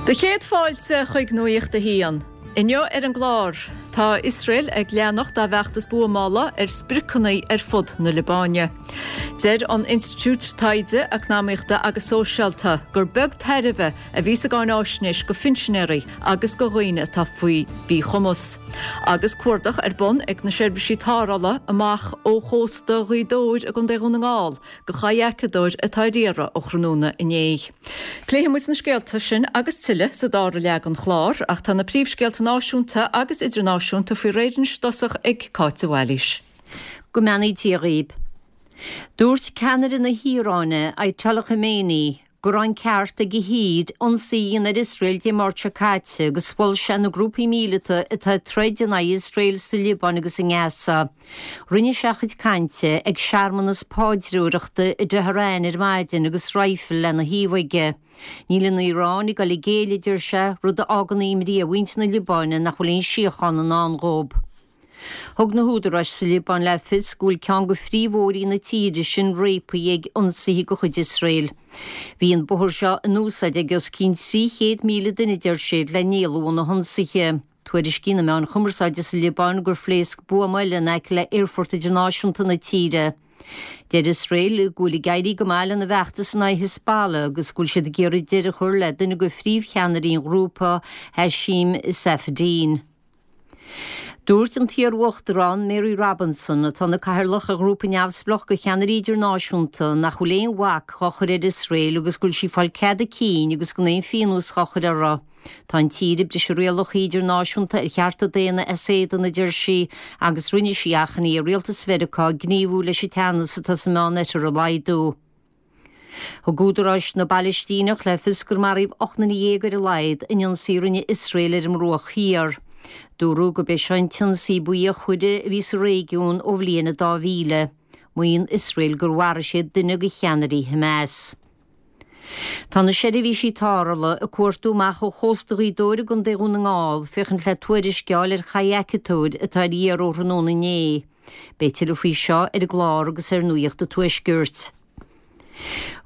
Do chéad fáilte chuig Nuacht a hAon. Inniu ar an gclár, tá Iosrael ag leanacht dá bhfeachtas buamála ar spriocanna ar fud na Liobáine. Deir an Institiúid Taighde Eacnamaíochta agus Sóisialta gur beag tairbhe a bhí sa gcáináisnéis go phinsinéirí agus go dhaoine atá faoi mhíchumas. Agus cuardach ar bun ag na seirbhísí tarrthála amach ó chósta Ghaoth Dobhair i gContae Dhún na nGall go chadhacadóir atá ar iarraidh ó thráthnóna inné. Pléifidh muid na scéalta sin agus tuilleadh sa dara leath den chlár, ach tá na príomhscéalta náisiúnta agus idirnáisiúnta faoi réir anois i dtosach ag Cáit de Bhailís. Go mbeannaí Dia dhaoib. Dúirt ceannaire na hIaráine, Ayatollah Khamenei, go raibh an ceart ag a thír ionsaí a dhéanamh ar Iosrael Dé Máirt seo caite agus mhol sé na grúpaí míleata atá ag troid in aghaidh Iosrael sa Liobáin agus i nGaza. Rinne sé a chuid cainte ag searmanas paidreoireachta i dTehran ar maidin agus raidhfil lena thaobh aige. Níl an Iaráin ag dul i gcéill, a deir sé, rud a fhágann imní ar mhuintir na Liobáine nach bhfuil aon síocháin i ndán dhóibh. Thug na húdaráis sa Liobáin le fios go bhfuil ceann de phríomhbhóithrí na tíre sin réabtha ag ionsaithe de chuid Iosrael. Bhí an bóthar seo in úsáid ag os cionn 300,000 duine, deir siad, le n-éalú ó na hionsaithe. Tuairiscíonn na meáin chumarsáide sa Liobáin gur phléasc buama eile in aice le haerfort idirnáisiúnta na tíre. Deir Iosrael go bhfuil ag éirí go maith lena bhfeachtas in aghaidh Hezbollah agus go bhfuil siad ag iarraidh deireadh a chur le duine de phríomhcheannairí an ghrúpa, Hashim Safieddine. Dúirt an t-iar-uachtarán Mary Robinson, atá ina cathaoirleach ar ghrúpa neamhspleách de cheannairí idirnáisiúnta, nach bhfuil aon bhac dhá chur ar Iosrael agus go bhfuil sí ag fáil cead a cinn agus gan aon phíonós dhá chur uirthi. Tá an tír ag briseadh rialacha idirnáisiúnta ar chearta daonna as éadan, a deir sí, agus rinne sí achainí ar rialtas Mheiriceá gníomhú leis an teannas atá sa Meánoirthear a laghdú. Thug údaráis na bPailistíneach le fios gur maraíodh 18 nduine ar a laghad in ionsaí a rinne Iosrael ar an mBruach Thiar. Dúradh gurb é seo an t-ionsaí ba fhíochmhaire a bhí sa réigiún ó bhliain 2000. Maíonn Iosrael gur mharaigh siad duine de cheannairí Hamas. Tá na seirbhísí tarrthála ag cuartú amach ó chósta Ghaoth Dobhair i gContae Dhún na nGall féachaint le tuairisc a fháil ar chadhacadóir atá ar iarraidh ó thráthnóna inné. Beidh tuilleadh faoi seo ar an gclár agus ar Nuacht an Tuaiscirt.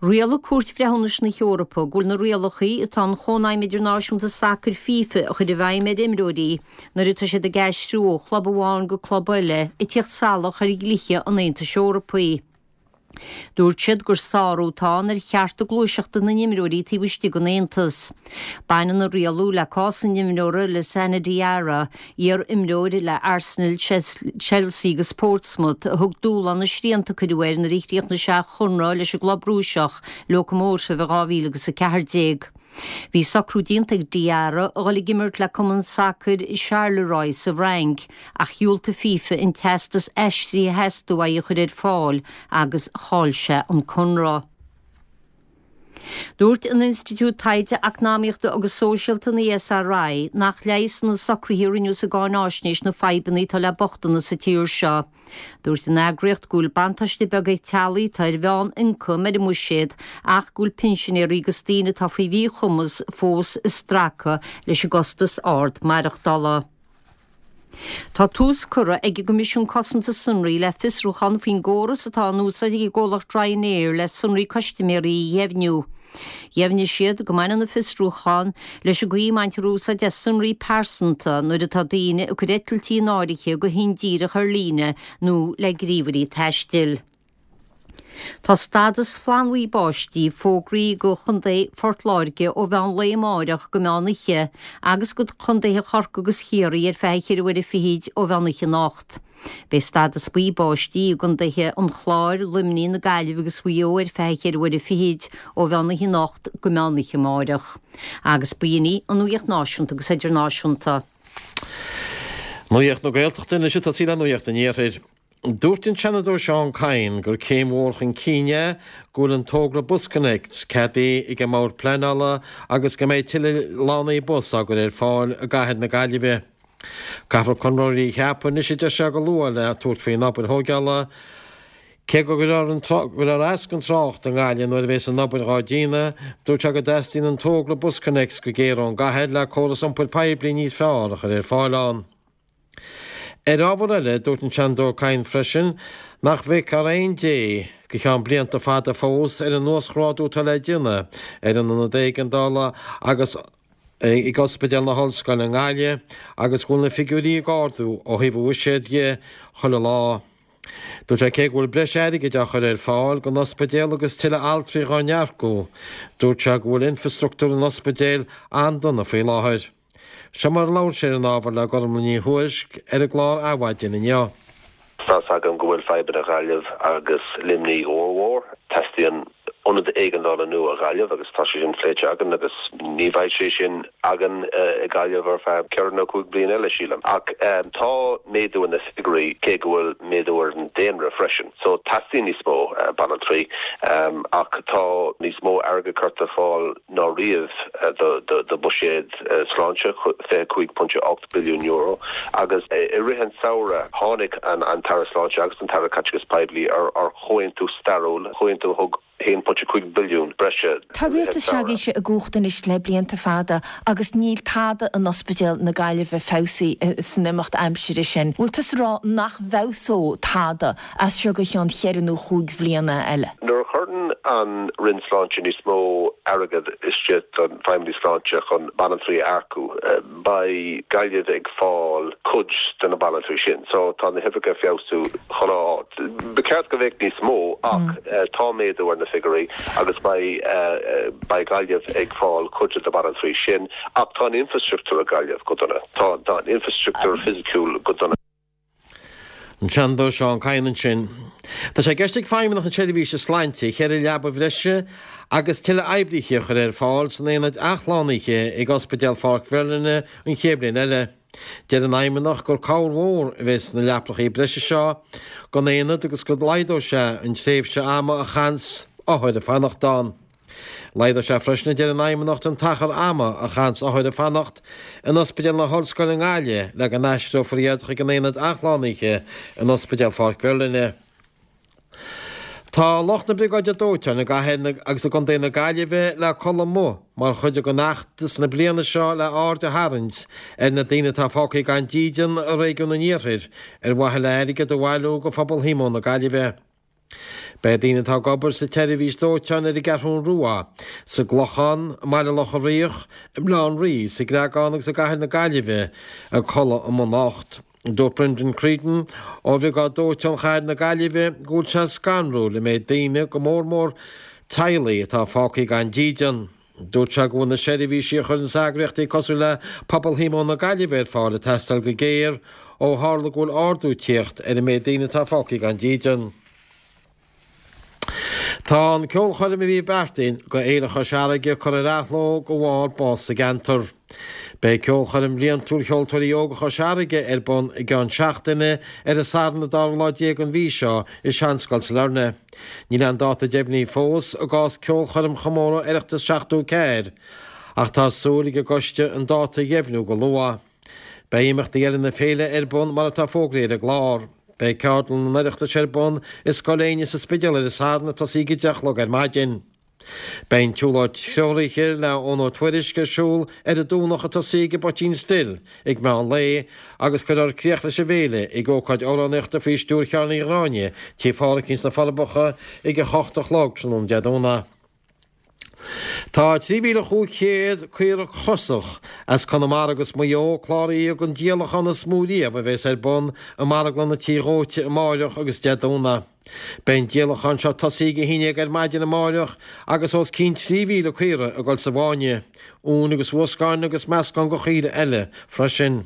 Rialaigh Cúirt Bhreithiúnais na hEorpa go bhfuil na rialacha atá an Chónaidhm Idirnáisiúnta Sacair FIFA a chur i bhfeidhm ar imreoirí nuair atá siad ag aistriú ó chlub amháin go club eile ag tíocht salach ar dhlíthe an Aontais Eorpaigh. Dúirt siad gur sárú atá ann ar chearta gluaiseachta na n-imreoirí taobh istigh den Aontas. Baineann an rialú le cás an imreora Lassana Diarra, iar-imreoir le Arsenal, Chelsea agus Portsmouth, a thug dúshlán na srianta a cuireadh air nuair a chríochnaigh sé a chonradh leis an gclub Rúiseach, Lokomotiv i 2014. Bhí socrú déanta ag Diarra a dhul ag imirt le cumann sacair Charleroi sa bhFrainc ach dhiúltaigh FIFA an teastas aistrithe a theastaigh uaidh a chur ar fáil agus chaill sé an conradh. Dúirt an Institiúid Taighde Eacnamaíochta agus Sóisialta, an ESRI, nach leigheasann na socruithe a rinneadh sa gcáináisnéis na fadhbanna atá le bochtanas sa tír seo. Dúirt an eagraíocht go bhfuil buntáiste beag ag teaghlaigh atá ar mheán-ioncam ar an mbuiséad ach go bhfuil pinsinéirí agus daoine atá faoi mhíchumas fós ag stracadh leis an gcostas ard maireachtála. Tá tús curtha ag an gCoimisiún Cosanta Sonraí le fiosrúchán faoin gcóras atá in úsáid ag an gcomhlacht Ryanair le sonraí custaiméirí a dheimhniú. Dheimhnigh siad go mbaineann an fiosrúchán leis an gcaoi a mbaintear úsáid as sonraí pearsanta nuair atá daoine ag cur eitiltí in áirithe go hindíreach ar líne nó le gníomhairí taistil. Tá stádas flannbhuí báistí fógraithe do Chontae Phort Láirge ó mheán lae amáireach go meán oíche agus do chontaetha Chorcaí agus Chiarraí ar feadh cheithre uaire fichid ó mheán oíche anocht. Beidh stádas buí báistí i gcontaetha an Chláir, Luimnigh, na Gaillimhe agus Mhaigh Eo ar feadh cheithre uaire fichid ó mheán oíche anocht go meán oíche amáireach. Agus b'in í an nuacht náisiúnta agus idirnáisiúnta. Nuacht na Gaeltachta anois ag tosaí le Nuacht an Iarthair. Dúirt an Seanadóir Seán Kyne gur céim mhór chun cinn é go bhfuil an togra BusConnects ceadaithe ag an mBord Pleanála agus go mbeidh tuilleadh lánaí bus á gcur ar fáil i gcathair na Gaillimhe. Caithfear conraitheoirí a cheapadh anois a deir sé go luath le tabhairt faoin obair thóigeála. Cé go gcuirfear as don trácht i nGaillimh nuair a bheas an obair dhá déanamh, dúirt sé go dteastaíonn an togra BusConnects go géar ón gcathair le córas iompair poiblí níos fearr a chur ar fáil ann. Ar ábhar eile, dúirt an Seanadóir Kyne freisin nach bhfeicfear aon dé go ceann blianta fada fós ar an uasghrádú atá le déanamh ar an ionad éigeandála agus. ag Ospidéal na hOllscoile i nGaillimh agus go bhfuil na figiúirí ag ardú ó thaobh an bhuiséid dhe chuile lá. Dúirt sé cé go bhfuil breis airgid á chur ar fáil don ospidéal agus tuilleadh altraí dhá n-earcú, dúirt sé go bhfuil infreastruchtúr an ospidéil an-dona faoi láthair. Seo mar a labhair sé ar an ábhar le Gormlaith Ní Thuairisg ar an gclár Adhmhaidin inniu. Tá's agam go bhfuil fadhbanna Ghaillimh agus Luimnigh ollmhór. Teastaíonn ionad éigeandála nua Ghaillimh agus tá sé sin pléite againn agus ní bheidh sé sin againn i Gaillimh ar feadh ceithre nó chúig bliana eile, sílim. Ach tá méadú ar na figiúirí cé go bhfuil méadú ar an daonra freisin. So teastaíonn níos mó banaltraí ach tá níos mó airgead curtha ar fáil ná riamh do bhuiséad sláinte, €25.8 billiún, agus i rith an tsamhraidh tháinig an tAire Sláinte agus an tAire Caiteachais Poiblí ar chomhaontú stairiúil, comhaontú a thug €1.5 billiún breise Tá rialtas s'agaibhse i gcumhacht anois le blianta fada agus níl tada in Ospidéal na Gaillimhe feabhsaithe san imeacht aimsire sin. Bhfuil tusa ag rá nach bhfeabhsóidh tada as seo go cheann cheithre nó chúig bhliana eile. Nuair a chuireann an Roinn Sláinte níos mó airgead istigh don Feidhmeannas Sláinte chun banaltraí a earcú, beidh Gaillimh ag fáil cuid de na banaltraí sin. So tá na huimhreacha ag feabhsú chuile áit. Ba cheart go bheadh níos mó ach tá méadú ar na figiúirí agus beidh beidh Gaillimh ag fáil cuid de na banaltraí sin. Ach tá an infrastruchtúr i Gaillimh go dona. Tá an infrastruchtúr fisiciúil go dona. An Seanadóir Seán Kyne ansin. Tá sé i gceist ag Feidhmeannacht na Seirbhíse Sláinte cheithre leaba bhreise agus tuilleadh oibrithe a chur ar fáil san aonad athshlánaithe ag Ospidéal Pháirc Mherlyn an chéad bhliain eile. Deir an Fheidhmeannacht gur cabhair mhór a bheidh sna leapacha breise seo don aonad agus go laghdóidh sé an tréimhse ama a chaitheanns othair ag fanacht ann. Laghdóidh sé freisin, a deir an Fheidhmeannacht, an t-achar ama a chaitheanns othair ag fanacht in Ospidéal na hOllscoile i nGaillimh le go n-aistreofar iad chuig an Aonad Athshlánaithe in Ospidéal Pháirc Mherlyn. Tá lucht na Briogáide Dóiteáin i gcathair agus i gcontae na Gaillimhe le codladh amuigh mar chuid den fheachtas na bliana seo le aird a tharraingt ar na daoine atá fágtha gan dídean i réigiún an Iarthair ar mhaithe le airgead a bhailiú do Phobal Shíomóin na Gaillimhe. Beidh daoine atá ag obair sa tseirbhís dóiteáin ar an gCeathrún Rua, sa gClochán, i mBaile Locha Riach, i mBaile Átha an Rí, sa gCreagán agus i gCathair na Gaillimhe ag codladh amuigh anocht. Dúirt Brendan Creedon ó Bhriogáid Dóiteáin Chathair na Gaillimhe go bhfuil sé scanrúil an méid daoine, go mór mór teaghlaigh, atá fágtha gan dídean. Dúirt sé go bhfuil na seirbhísí a chuireanns eagraíochtaí cosúil le Pobal Shíomóin na Gaillimhe ar fáil ag teastáil go géar ó tharla go bhfuil ardú ag tíocht ar an méid daoine atá fágtha gan dídean. Tá an ceolchoirm a bhí beartaithe go Fhéile Chois Fharraige curtha ar athló de bharr bás sa gceantar. Beidh ceolchoirm bhliantúil Cheoltóirí Óga Chois Fharraige ar bun i gceann seachtaine ar an Satharn an dara lá déag den mhí seo i Seanscoil Sailearna. Níl aon dáta deimhnithe fós i gcás ceolchoirm chomóradh Oireachtas 74 ach tá súil ag an gcoiste an dáta a dheimhniú go luath. Beidh imeachtaí eile na féile ar bun mar atá fógraithe ar an gclár. Beidh ceardlann an Oireachtais ar bun i Scoil Éinne sa Spidéal ar an Satharn ag tosaí ag 10 a chlog ar maidin. Beidh an tsiúlóid threoraithe le Eoin Ó Tuairisg ar siúl ar an Domhnach ag tosaí ag an bPoitín Stil ag meán lae agus cuirfear críoch leis an bhféile ag ócáid amhránaíochta faoi stiúir Sheáin Uí Ghráinne, Tigh Phádhraic sna Forbacha ag 8 a chlog tráthnóna Dé Domhnaigh. Tá 3,500 caora crosach as Conamara agus Maigh Eo cláraithe don díolachán is mó riamh a bheas ar bun i marglann an Tí Dhóite amáireach agus Dé Domhnaigh. Beidh an díolachán seo ag tosaí ag 11 ar maidin amáireach agus os cionn 3,000 caora ag dul sa bhfáinne, uain agus uascáin agus meascán de chaoire eile freisin.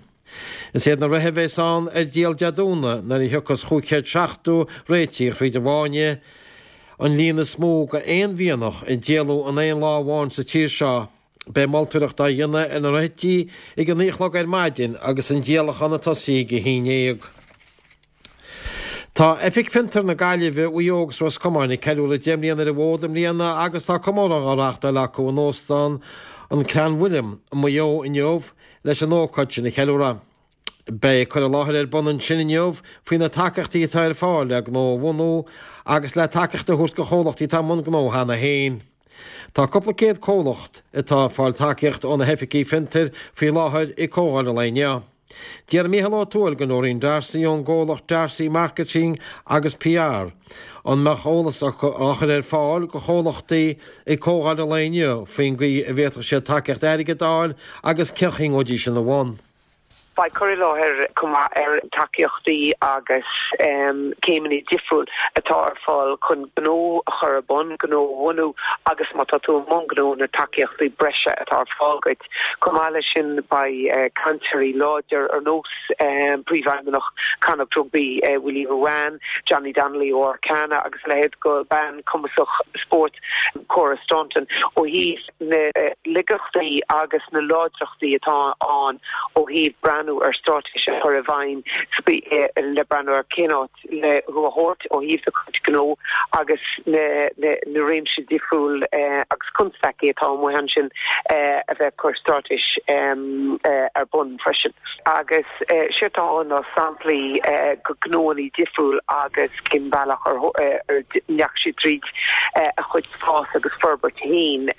Is iad na reithe a bheas ann ar díol Dé Domhnaigh nuair a thiocfas 570 réitigh thríd an bhfáinne, an líon is mó de aon mhianach a díoladh in aon lá amháin sa tír seo. Beidh moltóireacht á dhéanamh ar na reithe ag a 9 a chlog ar maidin agus an díolachán ag tosaí ag 11. Tá Oifig Fiontar na Gaillimhe, Mhaigh Eo agus Ros Comáin ag ceiliúradh 10 mbliana ar an bhfód i mbliana agus tá comóradh á reáchtáil acu in Óstán an Clanwilliam i Maigh Eo inniu leis an ócáid sin a cheiliúradh. Beidh cur i láthair ar bun ansin inniu faoi na tacaíochtaí atá ar fáil le gnó a bhunú agus le tacaíocht a thabhairt do chomhlachtaí atá i mbun gnó cheana féin. Tá cúpla céad comhlacht atá ag fáil tacaíocht ó na hoifigí fiontair faoi láthair ag comhdháil an lae inniu. D'iarr Mícheál Ó Tuathail de Noreen D'Arcy ón gcomhlacht D'Arcy Marketing agus PR an mbeadh eolas á chur ar fáil do chomhlachtaí ag comhdháil an lae inniu faoin gcaoi a bhféadfadh siad tacaíocht airgid a fháil agus cén chaoi a ngabhfaidís ina bhun. Beidh cur i láthair chomh maith ar tacaíochtaí agus céimeanna difriúil atá ar fáil chun gnó a chur ar bun, gnó a bhunú agus má tá tú i mbun gnó na tacaíochtaí breise atá ar fáil duit. Chomh maith leis sin beidh cainteoirí láidir ar nós Príomhfheidhmeannach Connacht Rugby Willie Ruane, Johnny Donnelly ó Arcana agus a leithéid de bean cumasach spóirt Cora Staunton ó thaobh na laigeachtaí agus na láidreachtaí atá ann ó thaobh breathnú ar straitéis a chur i bhfeidhm le breathnú ar cén áit le thú a thabhairt ó thaobh do chuid gnó agus na réimse difriúil agus constaicí atá amuigh ansin a bheith ag cur straitéis ar bun freisin. Agus séard atá ann ná samplaí de gnóanna difriúil agus cén bealach ar ndeachaigh siad tríd a chuid fás agus forbairt féin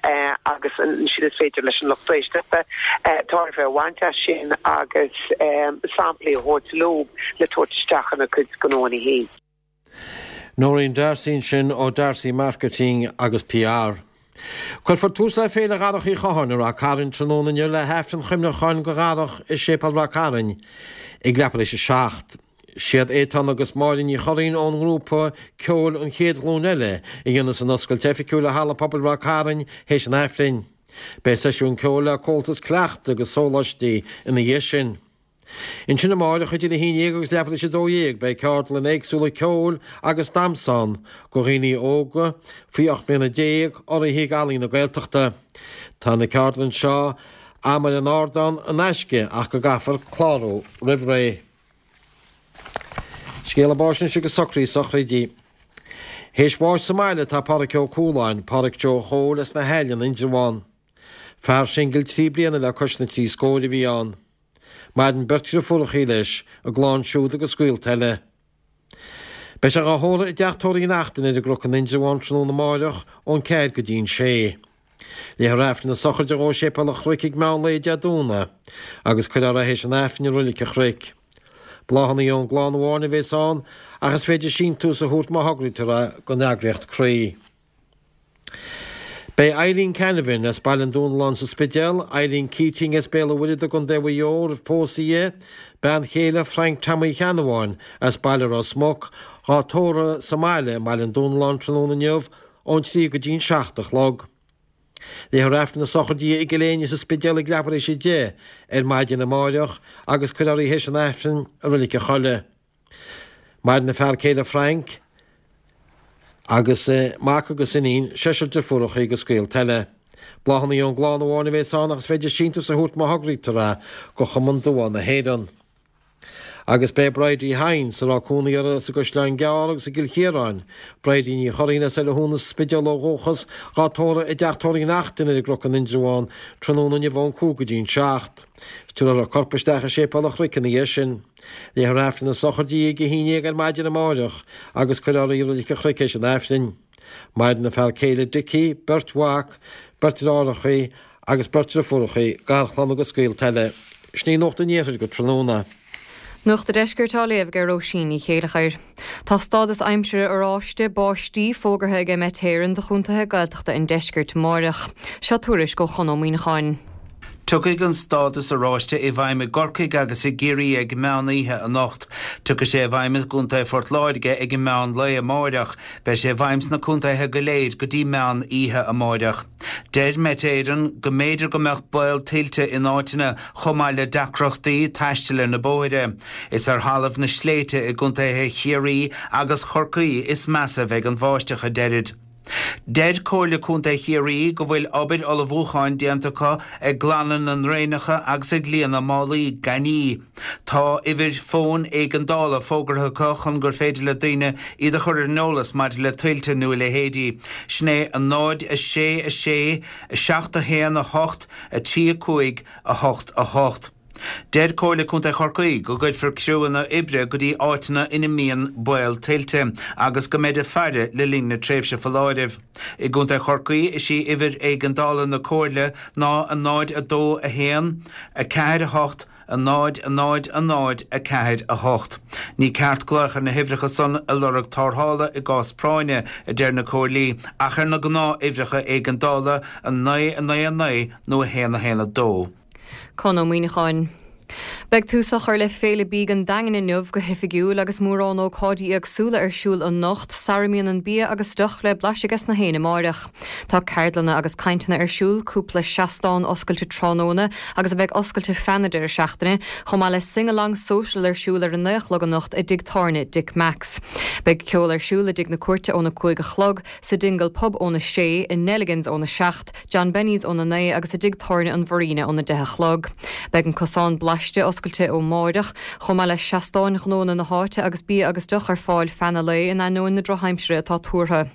agus ansin is féidir leis an lucht éisteachta tairbhe a bhaint as sin agus samplaí a thabhairt leo le tabhairt isteach ina gcuid gnóanna féin. Noreen D'Arcy ansin ó D'Arcy Marketing agus PR. Cuirfear tús le Féile Dharach Uí Chatháin i Rath Cairn tráthnóna inniu le hAifreann Chuimhneacháin do Dharach i Séipéal Rath Cairn ag leathuair tar éis a 7. Siad Étáin agus Máire Ní Churraoin ón ngrúpa ceoil An Chéad Ghlúin Eile a dhéanfas an oscailt oifigiúil i Halla Pobail Ráth Cairn théis an Aifrinn. Beidh seisiún ceoil le Comhaltas Cleachta agus sóláistí ina dhiaidh sin. Ansin amáireach idir 11 agus leathuair tar éis 12 beidh ceardlanna éagsúla ceoil agus damhsa ann do dhaoine óga faoi 18 mbliana urraithe ag Ealaín na Gaeltachta. Tá na ceardlanna seo Am ar an Ardán in aisce ach go gcaithfear clárú roimh ré. Scéala báis anois agus socruithe sochraide. Théis bháis sa mbaile atá Pádhraic Ó Cualáin, Pádhraic Joe Chóil as na hAille in Indreabhán. Fear singil 3 bliana le cois na dtrí scóir a bhí ann. Maireann beirt dhriofúrachaí leis, a gclann siúd agus gaolta eile. Beidh sé dhá thórramh i dTeach Tórraimh Uí Neachtain ar an gCnoc in Indreabhán tráthnóna amáireach ón 4 go dtí an 6. Léifear Aifreann na sochraide dhó i Séipéal an Chnoic ag meán lae Dé Domhnaigh agus cuirfear é théis an Aifrinn i Roilic an Chnoic. Bláthanna ón gclann amháin a bhéas ann ach is féidir síntiús a thabhairt má thograítear é don eagraíocht Croí. Beidh Eileen Canavan as Baile an Dúnalláin sa Spidéal, Eileen Keating as Béal an Mhuirthead i gContae Mhaigh Eo roimh pósadh di, bean chéile Frank Tommy Cheannabháin as Baile Ros Muc, dhá tórramh sa mbaile i mBaile an Dúnalláin tráthnóna inniu ón 3 go dtí an 7 a chlog. Léifear Aifreann na sochraide di i gCill Éinne sa Spidéal ag leathuair tar éis 10 ar maidin amáireach agus cuirfear í théis an Aifrinn i Roilic an Choilligh. Maireann a fear céile Frank agus mac agus iníon, seisear deirfiúracha agus gaolta eile. Bláthanna ón gclann amháin a bhéas ann ach is féidir síntiús a thabhairt má thograítear é go Chumann Duán na hÉireann. Agus beidh Bridie Hynes, a raibh cónaí uirthi sa gCaisleán Gearr agus i gCill Chiaráin, Bridie Ní Churraoin as Oileán Thú sa Spidéal ó dhúchas, dhá tórramh i dTeach Tórraimh Uí Neachtain ar an gCnoc in Indreabhán tráthnóna inniu ón 5 go dtí an 7. Tabharfar a corp isteach i Séipéal an Chnoic ina dhiaidh sin. Léifear Aifreann na sochraide di ag 11 ar maidin amáireach agus cuirfear í i Roilic an Chnoic théis an Aifrinn. Maireann a fear céile Dickie, beirt mhac, beirt deartháireachaí agus beirt driofúrachaí, garchlann agus gaolta eile. Sin í Nuacht an Iarthair go tráthnóna. Nuacht an Deiscirt á léamh ag Róisín Ní Chéileachair. Tá stádas aimsire oráiste, báistí, fógartha ag Met Éireann do chontaetha Gaeltachta an deiscirt amáireach. Seo tuairisc ó Chon Ó Muíneacháin. Tiocfaidh an stádas oráiste i bhfeidhm i gCorcaigh agus i gCiarraí ag meán oíche anocht. Tiocfaidh sé i bhfeidhm i gContae Phort Láirge ag meán lae amáireach. Beidh sé i bhfeidhm sna contaetha go léir go dtí meán oíche amáireach. Deir Met Éireann go mb'fhéidir go mbeadh baol tuilte in áiteanna chomh maith le deacrachtaí taistil ar na bóithre. Is ar thalamh na sléibhte i gcontaetha Chiarraí agus Chorcaí is measa a bheidh an bháisteach, a deirid. Deir Comhairle Contae Chiarraí go bhfuil obair ullmhúcháin déanta acu ag glanadh na ndraenacha agus ag líonadh málaí gainimh. Tá uimhir fóin éigeandála fógartha acu chun gur féidir le daoine iad a chur ar an eolas maidir le tuilte nó a leithéidí. Sin é 0 6 6 7 1 8 3 5 8 8. Deir Comhairle Contae Chorcaí go gcuirfear criúanna oibre go dtí áiteanna ina mbíonn baol tuilte agus go mbeid ag faire le linn na tréimhse foláirimh. I gContae Chorcaí is í uimhir éigeandála na Comhairle ná 0 2 1 4 8. 0 0 0 4 8. Ní ceart glaoch ar na huimhreacha san ag lorg tarrthála i gcás práinne, a deir na comhairlí, ach ar na gnáth-uimhreacha éigeandála, 9 9 9 nó 1 1 2. Conn Ó Muíneacháin. Beidh tús á chur le Féile Bídh an Daingin inniu go hoifigiúil agus mórán ócáidí éagsúla ar siúl anocht sara mbíonn an bia agus deoch le blaiseadh ages na héinne amáireach. Tá ceardlanna agus cainteanna ar siúl, cúpla seastán oscailte tráthnóna agus a bheidh oscailte feadh na deireadh seachtaine, chomh maith le Sing Along Social ar siúl ar a 9 a chlog anocht i dtigh tábhairne Dick Mack's. Beidh ceol ar siúl i dTigh na Cúirte óna 5 a chlog, sa Dingle Pub óna 6, i Nelligan's óna 7, John Benny's óna 9 agus i dTigh Tábhairne an Mharina óna 10 a chlog. Beidh an Cosán Blaiste oscailte ó máireach, chomh maith le seastáin ghnóanna na háite agus bia agus deoch ar fáil feadh na lae in ainneoin na drochaimsire atá tuartha.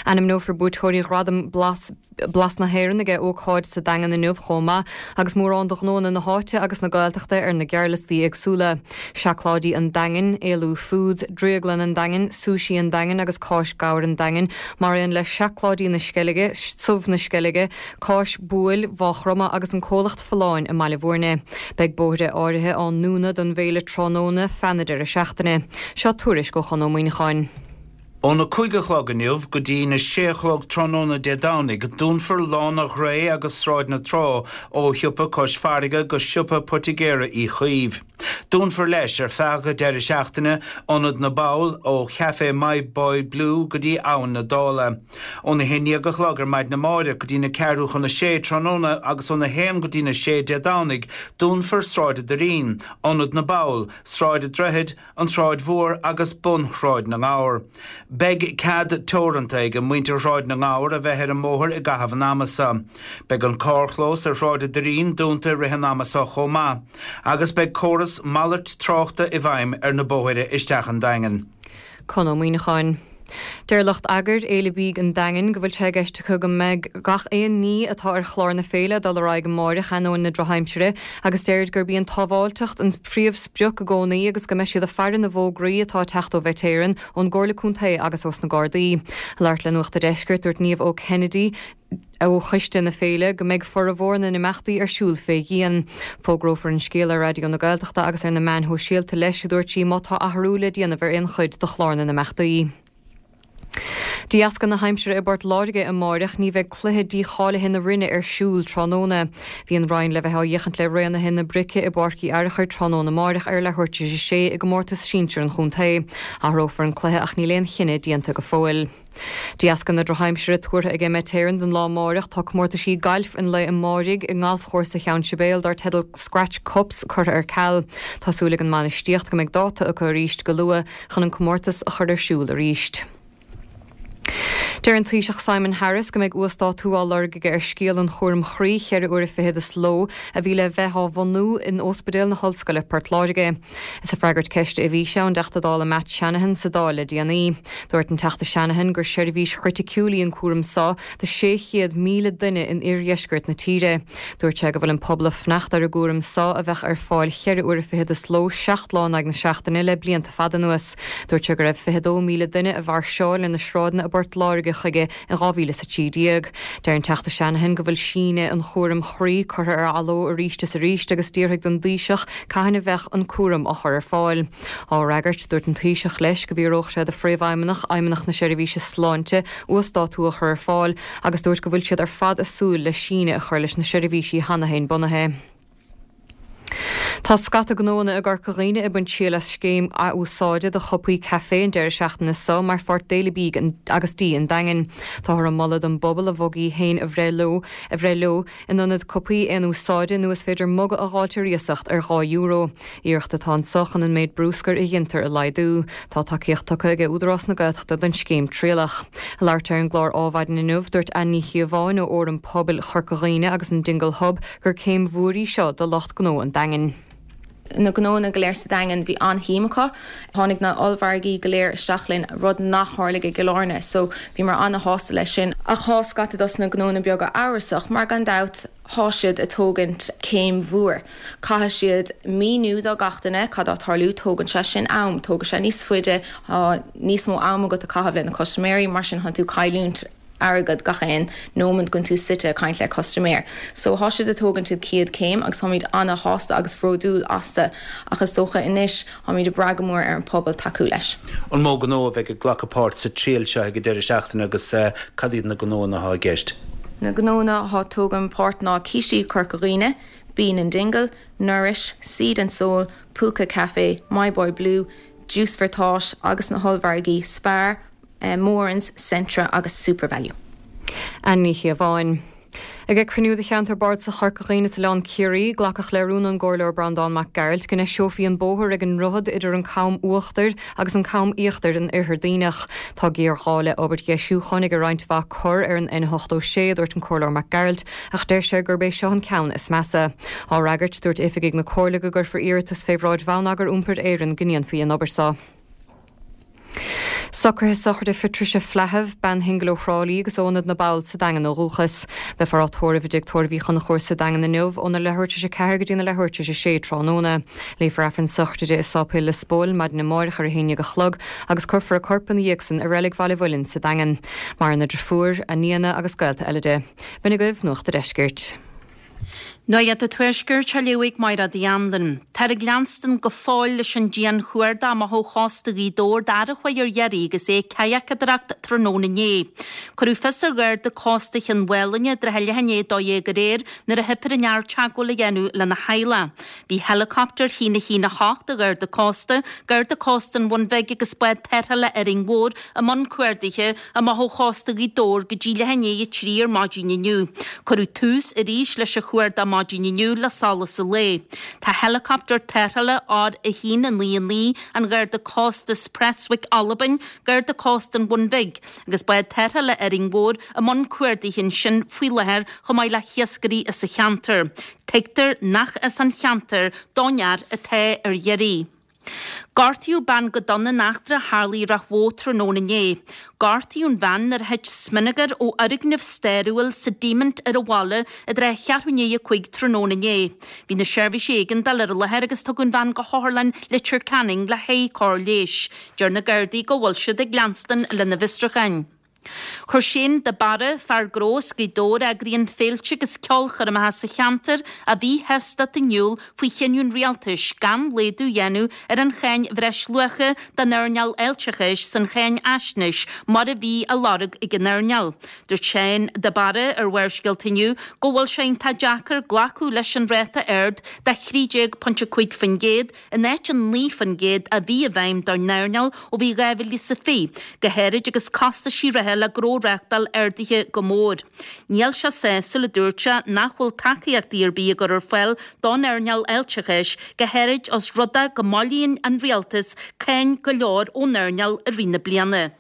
Ainmneofar buaiteoirí Ghradam Blas Blas na hÉireann ag ócáid sa Daingean inniu chomh maith agus mórán de ghnóanna na háite agus na Gaeltachta ar na gearrliostaí éagsúla. Seacláidí an Daingin, Éalú Foods, Drioglann an Daingin, Sushi an Daingin agus Cáis Gabhair an Daingin, mar aon le Seacláidí na Sceilge, Subh na Sceilge, Cáis Buail Mhaigh Chromtha agus an Comhlacht Folláin i mBaile Bhúirne. Beidh bóithre áirithe á ndúnadh don bhféile tráthnóna feadh na deireadh seachtaine. Seo tuairisc ó Chonn Ó Muíneacháin. Óna 5 a chlog inniu go dtí na sé a chlog tráthnóna Dé Domhnaigh, dúnfar Lána Ghrae agus Sráid na Trá ó Shiopa Cois Farraige go Siopa Poitigéara Uí Chaoimh. Dúnfar leis, ar feadh an deireadh seachtaine, Ionad na bPoll ó Chaifé My Boy Blue go dtí Abhainn na Dála. Óna haon dhéag a chlog ar maidin amáireach go dtí na ceathrú chun a sé tráthnóna agus óna haon go dtí na sé Dé Domhnaigh, dúnfar Sráid an Doirín, Ionad na bPoll, Sráid an Droichid, An tSráid Mhór agus bun Shráid na nGabhar. Beidh cead teoranta ag muintir Shráid na nGabhar a bheith ar an mbóthar i gcaitheamh an ama seo. Beidh an carrchlós ar Shráid an Doirín dúnta i rith an ama seo chomh maith, agus beidh córas malairt tráchta i bhfeidhm ar na bóithre isteach an Daingean. Conn Ó Muíneacháin. Deir lucht eagair Fhéile Bídh an Daingin go bhfuil sé i gceist acu go mbeidh gach aon ní atá ar chlár na féile ag dul ar aghaidh amáireach ainneoin na drochaimsire agus deirid gurb í an tsábháilteacht an phríomhsprioc i gcónaí agus go mbeidh siad ag faire na bhfógraí atá ag teacht ó Mhet Éireann, ón gComhairle Contae agus ós na Gardaí. Ag labhairt le Nuacht a' Deiscirt dúirt Niamh Ó Kennedy, ó choiste na féile go mbeidh formhór na n-imeachtaí ar siúl fé dhíon. Fógrófar an scéal ar Raidió na Gaeltachta agus ar na meáin shóisialta leis, a dúirt sí, má tá athrú le déanamh ar aon chuid de chlár na n-imeachtaí. De dheasca na haimsire i bPort Láirge amáireach ní bheidh cluiche dícháilithe na Roinne ar siúl tráthnóna. Bhí an Rinn le bheith á fhéachaint le Raonaithe na Brice i bPáirc Uí Fhearchair tráthnóna amáireach ar leathuair tar éis a sé i gcomórtas sinsir an chontae. Athrófar an cluiche ach níl aon chinneadh déanta go fóill. De dheasca na drochaimsire tuartha ag Met Éireann don lá amáireach, tá comórtaisí gailf an lae amáirigh i nGalfchúrsa Cheann Sibéal dar teideal Scratch Cups curtha ar ceal. Tá súil ag an mbainistíocht go mbeidh dáta acu arís go luath chun an comórtas a chur ar siúl arís. Deir an Taoiseach Simon Harris go mbeidh uasdátú á lorg aige ar scéal an chúraim chroí cheithre uaire fichead sa ló a bhí le bheith á bhunú in Ospidéal na hOllscoile Port Láirge. Is ag freagairt ceiste a bhí sé ón dTeachta Dála Matt Shanahan sa Dáil le déanaí. Dúirt an Teachta Shanahan gur seirbhís chriticiúil í an cúram seo do 600,000 duine in oirdheisceart na tíre. Dúirt sé go bhfuil an pobal ag fanacht ar an gcúram seo a bheadh ar fáil cheithre uaire fichead sa ló seacht lá in aghaidh na seachtaine le blianta fada anuas. Dúirt sé go raibh 22,000 duine a mhairseáil ar na sráideanna i bPort Láirge chuige in 2013. Deir an Teachta Shanahan go bhfuil síneadh an chúraim chroí curtha ar athló arís is arís agus d'fhiafraigh den dTaoiseach cathain a bheadh an cúram á chur ar fáil. Á fhreagairt, dúirt an Taoiseach leis go bhfiafródh sé de Phríomhfheidhmeannach Fheidhmeannacht na Seirbhíse Sláinte uasdátú a chur ar fáil agus dúirt go bhfuil siad ar fad ag súil le síneadh a chur leis na seirbhísí cheana féin bunaithe. Tá scata gnóanna i gCorca Dhuibhne ag baint triail as scéim athúsáide do chupaí caife an deireadh seachtaine seo mar pháirt d'Fhéile Bídh agus Dí an Daingin. Táthar ag moladh don bpobal a mhugaí féin a bhreith leo a bhreith leo in ionad cupaí aon úsáide nó is féidir muga a dh'fháilt ar iasacht ar €2. Iarracht atá anso chun an méid brúscair a ghintear a laghdú. Tá tacaíocht tugtha ag Údarás na Gaeltachta don scéim trialach. Ag labhairt ar an gclár Ádhmhaidin inniu, dúirt Ann Ní Chíobháin ó Fhóram Pobail Chorca Dhuibhne agus an Dingle Hub gur céim mhór í seo do lucht gnó an Daingin. Na gnóanna go léir sa Daingean, bhí an-shuim acu. Tháinig na ollmhargaí go léir isteach linn, rud nach tharlaigh i gCill Airne, so bhíomar an-shásta leis sin. Ach thá scata dos na gnóanna beaga amhrasach, mar gan dabht thá siad a' tógaint céim mhór. Caithfidh siad míniú do gach duine cad á tarlú, tógann sé sin am, tógfaidh sé níos faide, thá níos mó am agat a caitheamh le na custaiméirí, mar sin thánn tú cailliúint. airgead gach aon nóiméad go bhfuil tú suite ag caint le custaiméir. So thá siad ag tógaint an chéad céim agus táimid ana-shásta agus bhródúil astu ach is dócha anois táimid ag brath go mór ar an pobal tacú leis. An mó gnó a bheidh ag glacadh páirt sa triail seo ag an deireadh seachtaine agus cad iad na gnóanna atá i gceist? Na gnóanna atá ag tógaint páirt ná Cístí Corca Dhuibhne, Bean and Dingle, Nourish, Seed and Soul, Púca Café, My Boy Blue, Juice for Thought agus na hollmhargaí Spar, Morans, Centra agus Supervalu. Anne Ní Chíobháin. Ag cruinniú de Cheantar Bardasach Chorca Dhuibhne is Oileán Ciarraí, glacadh le rún ón gComhairleoir Breandán Mac Gearailt go ndeiseofaí an bóthar ag an ndroichead idir an Cam Uachtair agus an Cam Íochtair in Oirthear Duibhneach. Tá géarghá le obair dheisiúcháin ag roinnt mhaith cor ar an N86, a dúirt an Comhairleoir Mac Gearailt, ach deir sé gurb é seo an ceann is measa. Á fhreagairt, dúirt oifigigh na Comhairle go gcuirfear iarratas fé bhráid Bhonneagar Iompair Éireann go ndéanfaí an obair seo. Socruithe sochraide Phatricia Flahive, bean shingil ó Thrá Lí agus ó Ionad na bPoll sa Daingean ó dhúchas. Beifear á tórramh i dTigh Tórraimh Uí Chonchúir sa Daingean inniu óna leathuair tar éis a 4 go dtí na leathuair tar éis a 6 tráthnóna. Léifear Aifreann sochraide di i Sáipéal Lios Póil maidin amáireach ar a haon dhéag a chlog agus cuirfear a corp ina dhiaidh san i Reilig Bhaile Mhuilinn sa Daingean. Maireann a driofúr, a nianna agus gaolta eile di. B'in agaibh Nuacht a' Deiscirt. Nuacht an Tuaiscirt á léamh ag Mairéad Uí Anluain. Táthar ag leanstan go fóill leis an dian-chuardach amach ó chósta Ghaoth Dobhair d'fhear a chuaigh ar iarraidh agus é ag cadhacadóireacht tráthnóna inné. Cuireadh fios ar Gharda Cósta Chionn Mhálanna i dtrátha leath i ndiaidh 12 aréir nuair a theip ar an fhear teagmháil a dhéanamh lena theaghlach. Bhí heileacoptar 1 1 8 an Gharda Cósta, Garda Cósta an Bhun Bhig agus bád tarrthála Árainn Mhór i mbun cuardaithe amach ó chósta Ghaoth Dobhair go dtí leath i ndiaidh a 3 ar maidin inniu. Cuireadh tús arís leis an chuardach maidin inniu le solas an lae. Tá heileacoptar tarrthála R1 9 9 an Gharda Cósta as Prestwick, Albain, Garda Cósta an Bhun Bhig agus bád tarrthála Árainn Mhór i mbun cuardaithe ansin faoi láthair chomh maith le hiascairí as an cheantar. Tuigtear nach as an cheantar don fhear atá ar iarraidh. Gortaíodh bean go dona in eachtra a tharla i Ráth Bhoth tráthnóna inné. Gortaíodh an bhean nuair a thit smionagar ó fhoirgneamh stairiúil sa Díomant ar an bhaile i dtrátha cheathrú i ndiaidh a 5 tráthnóna inné. Bhí na seirbhísí éigeandála ar an láthair agus tugadh an bhean go hOtharlann Leitir Ceanainn le haghaidh cóir leighis. Deir na Gardaí go bhfuil siad ag leanstan lena bhfiosrúcháin. Chuir Shane de Barra, fear gnó as Gaoth Dobhair a eagraíonn féilte agus ceolchoirmeacha sa cheantar, a mhíshástacht in iúl faoi chinneadh an rialtais gan laghdú a dhéanamh ar an cháin bhreisluacha don earnáil fháilteachais san cháinfhaisnéis mar a bhí á lorg ag an earnáil. Dúirt Shane de Barra ar Bharrscéalta inniu go bhfuil sé iontach deacair glacadh leis an ráta ard de 13.5% in áit an 9% a bhí i bhfeidhm don earnáil ó bhí 2020, go háirid agus costaisí reatha le gnó a reáchtáil ardaithe go mór. Níl sé sásúil, a dúirt sé, nach bhfuil tacaíochtaí ar bith á gcur ar fáil don earnáil fháilteachais, go háirid os rud é go mbailíonn an rialtas cáin go leor ón earnáil i rith na bliana.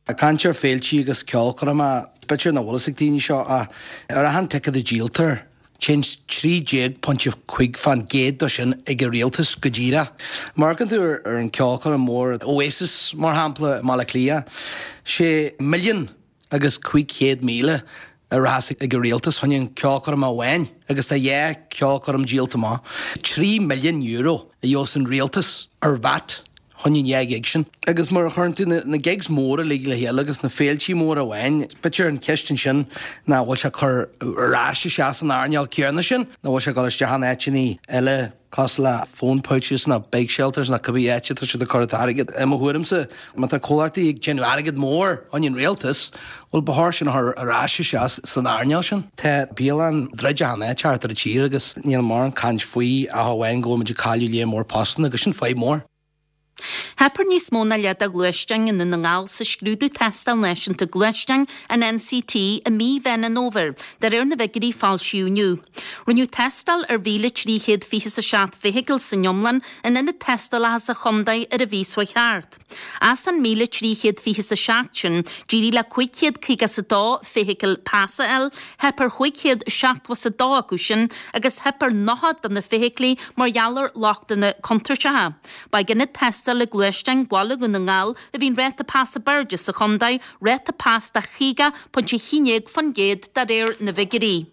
Ag caint ar féiltí agus ceolchoirmeacha, b'fhéidir nach bhfuil fhios ag daoine seo ach ar achan ticéad a díoltar, téann 13.5 fán gcéad de sin ag an rialtas go díreach. Má amharcann tú ar an ceolchoirm mhór Oasis mar shampla i mBaile Átha Cliath, sé milliún agus 500,000 a rachas ag an rialtas chun an ceolchoirm amháin agus tá dhá ceolchoirm díolta amach. €3 milliún a gheobhas an rialtas ar VAT chun an dhá ghig sin. Agus mar a chuireann tú na gigs móra uilig le chéile agus na féiltí móra amháin, b'fhéidir an cheist ansin ná bhfuil sé ag cur ar ais isteach san earnáil céanna sin nó bhfuil sé ag dul isteach in áiteanna eile cosúil le phone pouches nó bike shelters nó cibé áit atá siad ag cur an t-airgead. I mo thuairimse, má tá comhlachtaí ag déanamh airgead mór chun an rialtas, bhuel ba chóir sin a chur ar ais isteach san earnáil sin. Tá bialann druidte achan áit thart ar an tír agus níl mórán caint faoi ach amháin go bhfuil muid ag cailleadh léar mór postanna agus sin fadhb mór. Theip ar níos mó ná leath de ghluaisteáin i nDún na nGall sa scrúdú Tástáil Náisiúnta Gluaisteáin, an NCT, i mí Mheán an Fhómhair, de réir na bhfigiúirí a foilsíodh inniu. Rinneadh tástáil ar 1,327 feithicil san iomlán in ionad tástálacha sa chontae ar an mhí seo chuaigh thart. As an 1,327 sin, d'éirigh le 552 feithicil pas a fháil, theip ar 572 acu sin agus theip ar 90 de na feithiclí mar gheall ar lochtanna contúirteacha. Ba ag ionad tástála gluaisteáin Bhaile Dhún na nGall a bhí an ráta pas ab airde sa chontae, ráta pas de 50.11% de réir na bhfigiúirí.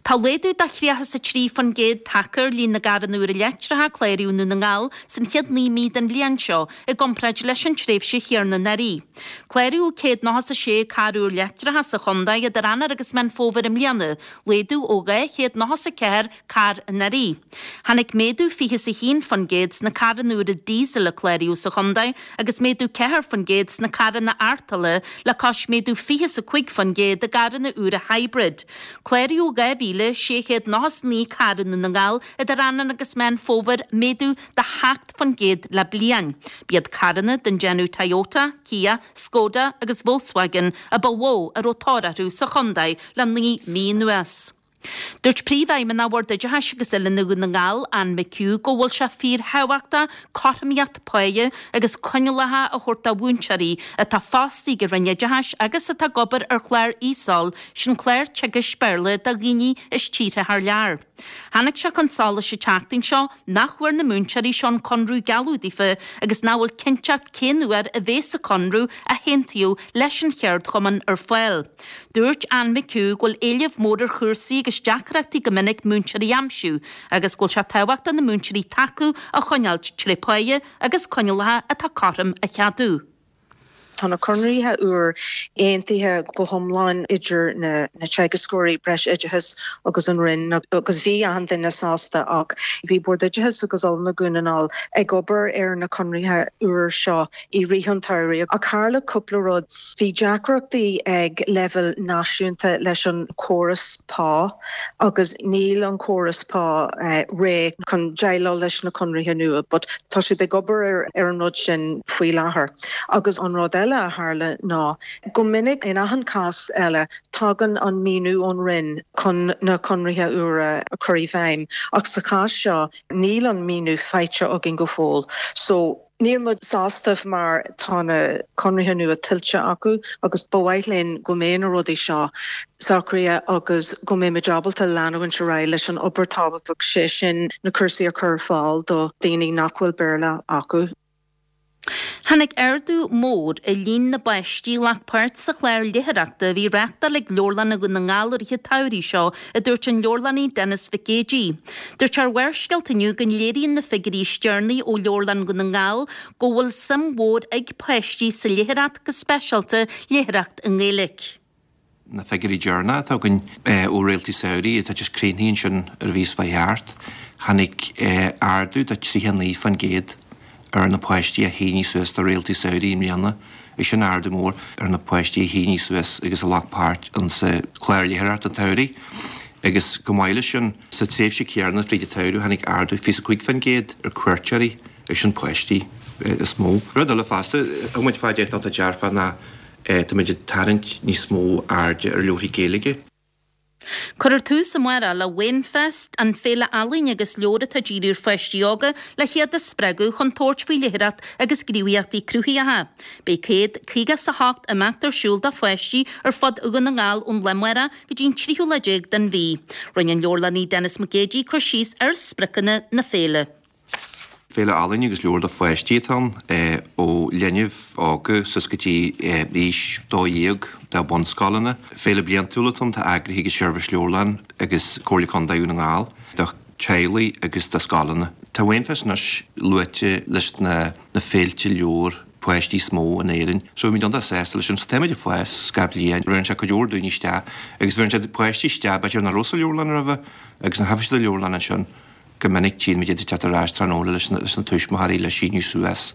Tá laghdú de 33% tagtha ar líon na gcarranna úra leictreacha a cláraíodh i nDún na nGall san chéad 9 mí den bhliain seo i gcomparáid leis an tréimhse chéanna anuraidh. Cláraíodh 196 carr úr leictreacha sa chontae idir Eanáir agus Meán Fómhair i mbliana, laghdú ó 294 carr anuraidh. Tháinig méadú 21% sna carranna úra díosail a cláraíodh sa chontae agus méadú 4% sna carranna artola le cois méadú 25% i gcarranna úra hybrid. Cláraíodh 2,699 carr i nDún na nGall idir Eanáir agus Meán Fómhair, méadú de 7% le bliain. B'iad carranna den déanamh Toyota, Kia, Skoda agus Volkswagen a ba mhó a raibh tóir orthu sa chontae le 9 mí anuas. Dúirt Príomhfheidhmeannach Bhord Oideachais agus Oiliúna Dhún na nGall, Anne McHugh, go bhfuil sé fíorthábhachtach cothromaíocht páighe agus coinníollacha a thabhairt do mhúinteoirí atá fostaithe ag an Roinn Oideachais agus atá ag obair ar chlár ESOL, sin clár teagaisc Béarla do dhaoine as tíortha thar lear. Tháinig sé chun solais an tseachtain seo nach bhfuair na múinteoirí seo an conradh gealladh daofa agus nach bhfuil cinnteacht cén uair a bhéas an conradh a haontaíodh leis an cheardchumann ar fáil. Dúirt Anne McHugh go bhfuil éileamh mór ar chúrsaí agus deacrachtaí go minic múinteoirí a aimsiú agus go bhfuil sé tábhachtach na múinteoirí atá acu a choinneáilt tré páighe agus coinníollacha atá cothrom a cheadú. Tá na conarthaí úr aontaithe go hiomlán idir na teagascóirí breisoideachais agus an Roinn agus bhí achan duine sásta ach bhí Bord Oideachais agus Oiliúna Dhún na nGall ag obair ar na conarthaí úr seo i rith an tsamhraidh ach tharla cúpla rud. Bhí deacrachtaí ag leibhéal náisiúnta leis an chóras pá agus níl an córas pá réidh chun déileáil leis na conarthaí nua but tá siad ag obair ar an rud sin faoi láthair. Agus an rud eile a tharla ná go minic in achan cás eile tagann an míniú ón Roinn chun na conarthaí úra a chur i bhfeidhm ach sa chás seo níl an míniú faighte againn go fóill so Níl muid sásta mar tá na conarthaí nua tuillte acu agus ba mhaith linn go mbeidh na rudaí seo socraithe agus go mbeidh muid ábalta leanúint ar aghaidh leis an obair tábhachtach, sé sin na cúrsaí a chur ar fáil do dhaoine nach bhfuil Béarla acu. Tháinig ardú mór i líon na bpáistí a ghlac páirt sa chlár léitheoireachta a bhí reáchtáil ag Leabharlanna Dhún na nGall i rith an tsamhraidh seo, a dúirt an leabharlannaí Denis Mhic Géidigh. Dúirt sé ar Bharrscéalta inniu go léiríonn na figiúirí is deireanaí ó Leabharlann Dhún na nGall go bhfuil suim mhór ag páistí sa léitheoireacht, go speisialta léitheoireacht i nGaeilge. Na figiúirí deireanacha atá againn ó Réaltaí Samhraidh atá just críochnaithe ansin ar an mhí seo chuaigh thart, tháinig ardú de 39% ar na páistí a shínigh suas do Réaltaí Samhraidh i mbliana. Is sin ardú mór ar na páistí a shínigh suas agus a ghlac páirt insa chlár léitheoireachta an tsamhraidh. Agus chomh maith leis sin, sa tréimhse chéanna fríd an tsamhradh tháinig ardú 25% ar cuairteoirí, agus sin páistí is mó. Rud eile fosta a muid fá dear atá dearfach ná táimid ag tarraingt níos mó airde ar leabharthaí Gaeilge. Cuirfear tús amárach le Wainfest, an féile ealaíne agus leabhar atá dírithe ar pháistí óga le hiad a spreagadh chun tabhairt faoi léitheoireacht agus gníomhaíochtaí cruthaitheacha. Beidh 158 imeacht ar siúl do pháistí ar fud Dhún na nGall ón lá amárach go dtí an tríú lá déag den mhí. Rinne an leabharlannaí Denis Mac Géidigh cur síos ar spriocanna na féile. Féile ealaíne agus leabhar do pháistí atá ann, ó linbh óga suas go dtí aois 12 do bhunscoileanna. Féile bliantúil atá ann atá eagraithe ag an Seirbhís Leabharlann agus Comhairle Contae Dhún na nGall do theaghlaigh agus do scoileanna. Tá Wainfest anois luaite leis na féilte leabhar páistí is mó in Éirinn. So bhí muid iontach sásta leis sin. So táimid ag fás gach bliain. Bheireann sé cuid mhór daoine isteach agus bheireann sé páistí isteach b'fhéidir nach raibh sa leabharlann roimhe agus nuair a thagann siad sa leabharlann ansin Go minic tchíonn muid iad ag teacht ar ais tráthnóna leis na tuismitheoirí le síniú suas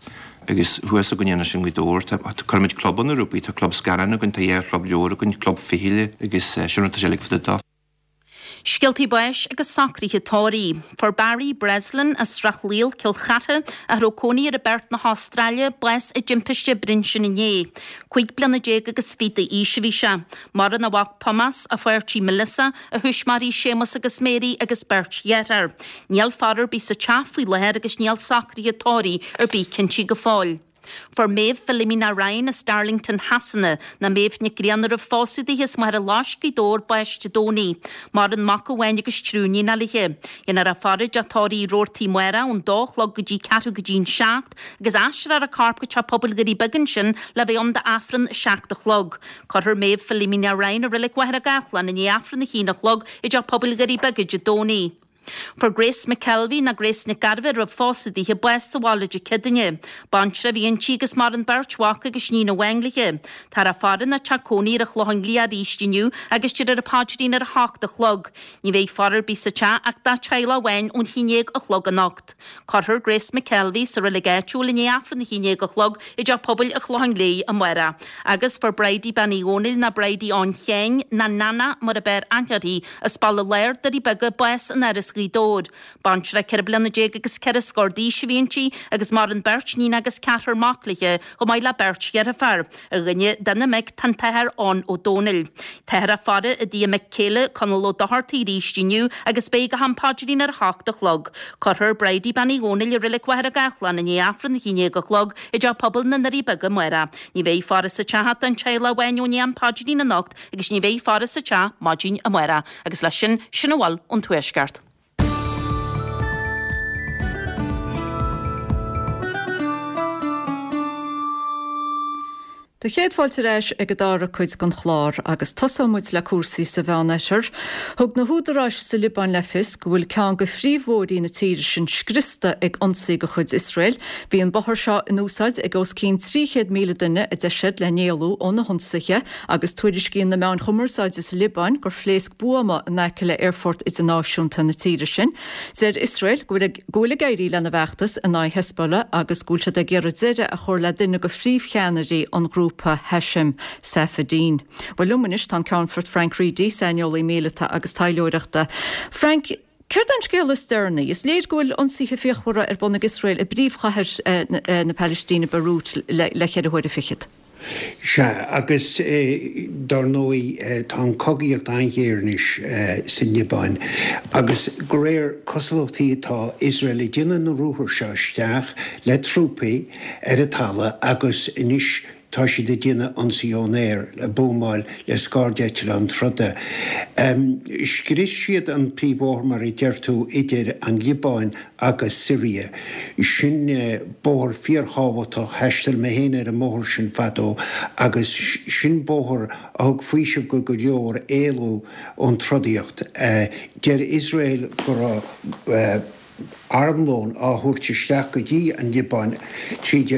agus thuas againne anois i nGaoth Dobhair tá cuirimid clubanna rompu, tá club scannán againn, tá dhá chlub leabhar againn, club fichille agus sin rud atá sé uilig fá dtaobh dó. Scéaltaí báis agus socruithe tórraimh. Fuair Barry Breslin as Srath Lial, Cill Chartha, a raibh cónaí air i bPerth na hAstráile, bás i dtimpiste brinsin inné. 15 bliana agus fiche d'aois a bhí sé. Maireann a mhac Tomás, a pháirtí Melissa, a thuismitheoirí Séamus agus Mary agus beirt dhearthár. Níl faire ar bith sa teach faoi láthair agus níl socruithe tórraimh ar bith cinntithe go fóill. Fuair Méabh Philomena Ryan as Darlington Shasana ná Méabh Nic Grianna a raibh phósadh daoithe as Machaire Loisc, Gaoth Dobhair, bás Dé Domhnaigh. Maireann mac amháin agus triúr níonacha léithe. Dhéanfar í a faire i dTeach Tórraimh Uí Robhartaigh amárach ón dó a chlog go dtí ceathrú go dtí an seacht agus aistreofar a corp go Teach Pobail Dhoirí Beaga ansin le bheith ann d'Aifreann a seacht a chlog. Cuirfear Méabh Philomena Ryan i Reilig Mhachaire Gathlán i ndiaidh Aifreann a haon a chlog i dTeach Pobail Dhoirí Beaga Dé Domhnaigh. Fuair Grace McKelvey, ná Grace Nic Gairbheith a raibh phósadh daoithe, bás sa bhaile Dé Céadaoine. Baintreach a bhí inti agus maireann beirt mhac agus níon amháin léithe. Táthar á faire ina teach cónaí ar an Chlochán Liath arís inniu agus déarfar an paidrín ar a hocht a chlog. Ní bheidh faire ar bith sa teach ach dá teaghlach amháin ón haon déag a chlog anocht. Cuirfear Grace McKelvey sa reilig áitiúil i ndiaidh Aifreann a haon déag a chlog i dTeach Pobail an Chlocháin Léith amárach. Agus fuair Bridie Bean Uí Dhónaill ná Bridie Eoin Sheáin ná Nana mar ab fhearr aithne uirthi, as Baile Láir, Doirí Beaga, bás in Áras Ghaoth Dobhair. Baintreach 14 bliana agus ceithre scór d'aois a bhí inti agus maireann beirt níon agus ceathrar mac léithe chomh maith le beirt dheirféar. Ar dhuine de na mic tá an tAthair Eoin Ó Dónaill. Táthar á faire i dtigh a mic céile, Conall Ó Dochartaigh arís inniu agus beidh go ham paidrín ar a hocht a chlog. Cuirfear Bridie Bean Uí Dhónaill i Reilig Mhachaire Gathlán i ndiaidh Aifreann a haon déag a chlog i dTeach Pobail na nDoirí Beaga amárach. Ní bheidh faire sa teach ach don teaghlach amháin ó ndiaidh an paidrín anocht agus ní bheidh faire sa teach maidin amárach. Agus leis sin, sin a bhfuil ón Tuaisceart. Do chéad fáilte ar ais ag an dara cuid den chlár agus tosóidh muid le cúrsaí sa Mheánoirthear. Thug na húdaráis sa Liobáin le fios go bhfuil ceann de phríomhbhóithrí na tíre sin scriosta ag ionsaí de chuid Iosrael. Bhí an bóthar seo in úsáid ag os cionn 300,000 duine, a deir siad, le n-éalú ó na hionsaithe. Agus tuairiscíonn na meáin chumarsáide sa Liobáin gur phléasc buama in aice le aerfort idirnáisiúnta na tíre sin. Deir Iosrael go bhfuil go bhfuil ag éirí lena bhfeachtas in aghaidh Hezbollah agus go bhfuil siad ag iarraidh deireadh a chur le duine de phríomhcheannairí an ghrúpa, Hashem Safieddine. Bhuel liom anois tá an Ceannfort Frank Reidy, saineolaí míleata agus taidhleoireachta. Frank, Céard é an scéal is deireanaí? Is léir go bhfuil ionsaithe fíochmhara ar bun ag Iosrael i bpríomhchathair na Palaistíne, Beirut, le ceithre huaire fichead. Sea, agus dar ndóigh tá an chogaíocht an-ghéar anois sa Liobáin agus de réir cosúlachtaí tá Iosrael ag déanamh na ruathair seo isteach le trúpaí ar an talamh agus anois tá siad ag déanamh ionsaí ón aer, ag buamáil le scairdeitleáin troda. Scrios siad an príomhbhóthar, mar a deir tú, idir an Liobáin agus Siria. Sin bóthar fíorthábhachtach, thaistil mé féin ar an mbóthar sin fadó agus sin bóthar a thug faoiseamh go go leor éalú ón trodaíocht. Deir Iosrael go raibh armlón á thabhairt isteach go dtí an Liobáin tríd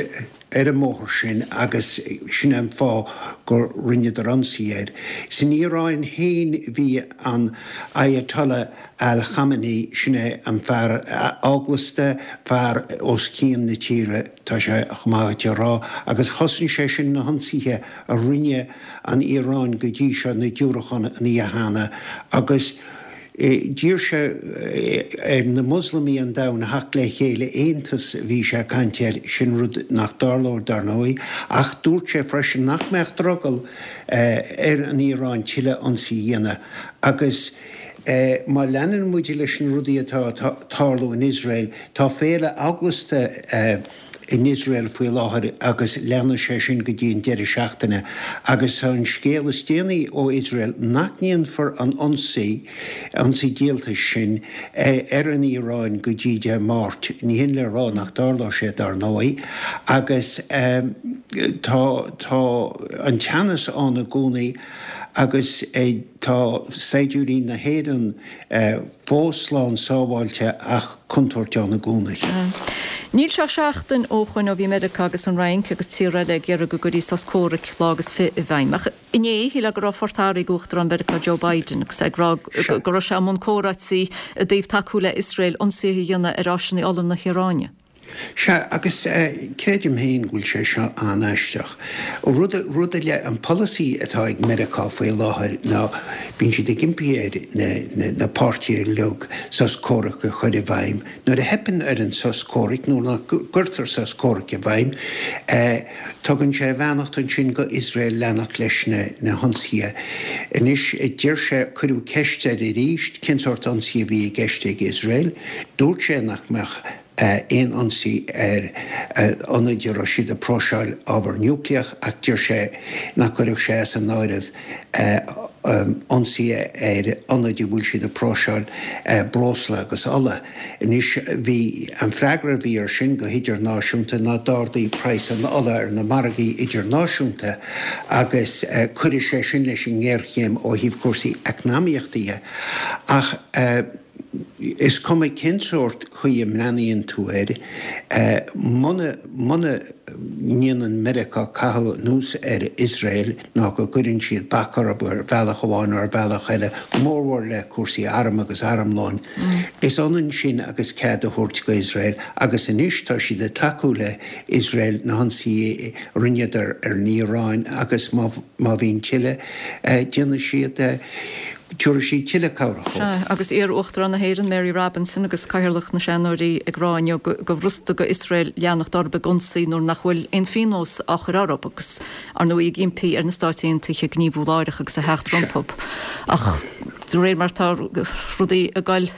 ar an mbóthar sin agus sin é an fáth gur rinneadar ionsaí air. San Iaráin féin bhí an Ayatollah Al Khamenei, sin é an fear eaglasta, fear os cionn na tíre, tá sé chomh maith duit a rá, agus chosain sé sin na hionsaithe a rinne an Iaráin go dtí seo, na diúracáin an oíche cheana agus. D'iarr sé ar na Moslamaigh an domhain a theacht le chéile, aontas a bhí sé ag caint air, sin rud nach dtarlóidh dar ndóigh, ach dúirt sé freisin nach mbeadh drogall ar an Iaráin tuilleadh ionsaí a dhéanamh agus má leanann muid leis na rudaí atá ag tarlú in Iosrael, tá féile eaglasta in Iosrael faoi láthair agus leanfaidh sé sin go dtí an deireadh seachtaine agus tá an scéal is déanaí ó Iosrael nach ndéanfar an ionsaí, ionsaí díoltais sin, ar an Iaráin go dtí Dé Máirt. Ní hin le rá nach dtarlóidh sé dar ndóigh agus tá, tá an teannas ann i gcónaí agus tá saighdiúirí na hÉireann fós slán sábháilte ach contúirt ann i gcónaí. Níl sé ach seachtain ó shoin ó bhí Meiriceá agus an Fhrainc agus tíortha eile ag iarraidh go gcuirfí sos comhraic lá agus fi i bhfeidhm. Ach inné, shílfeá go raibh phort athraithe ag Uachtarán Mheiriceá Joe Biden agus é ag rá go raibh sé i mbun comhráití i dtaobh tacú le Iosrael ionsaithe a dhéanamh ar áiseanna ola na hIaráine. Sea, agus creidim féin go bhfuil sé seo an-aisteach. Rud, rud ar leith, an polasaí atá ag Meiriceá faoi láthair ná bíonn siad ag impí ar na, na, na páirtithe uilig sos comhraic a chur i bhfeidhm. Nuair a theipeann ar an sos comhraic nó nach gcuirtear sos comhraic i bhfeidhm, tugann sé a bheannacht ansin go Iosrael leanacht leis na, na hionsaithe. Anois, deir sé, cuireadh ceist air arís cén sórt ionsaí a bhí i gceist ag Iosrael. Dúirt sé nach mbeadh. aon ionsaí ar ionaid a raibh siad ag próiseáil ábhar núicléach ach deir sé nach gcuirfeadh sé as an áireamh ionsaí ar ionaid a bhfuil siad ag próiseáil breosla agus ola. Anois, bhí, an freagra a bhí air sin go hidirnáisiúnta ná d'ardaigh praghas an ola ar na margaí idirnáisiúnta agus cuirfidh sé sin leis an ngéarchéim ó thaobh cúrsaí eacnamaíochta dhe. Ach is cuma cén sórt chaoi a mbreathnaíonn tú air, muna, muna ndéanann Meiriceá caitheamh anuas ar Iosrael ná go gcuireann siad bac orthu ar bhealach amháin nó ar bhealach eile, go mórmhór le cúrsaí arm agus armlóin, is ionann sin agus cead a thabhairt go Iosrael agus anois tá siad ag tacú le Iosrael na hionsaithe a rinneadar ar an Iaráin agus má má bhíonn tuilleadh, déanfaidh siad, tabharfaidh siad tuilleadh cabhrach dóibh. Sea, agus iar-Uachtarán na hÉireann, Mary Robinson, agus Cathaoirleach na Seanóirí ag rá inniu gur bhfurasta go Iosrael leanacht orthu ag ionsaí nuair nach bhfuil aon phionós á chur orthu agus, ar ndóigh, ag impí ar na Stáit Aontaithe gníomhú láithreach agus a theacht rompu. Ach de réir mar atá rudaí ag dul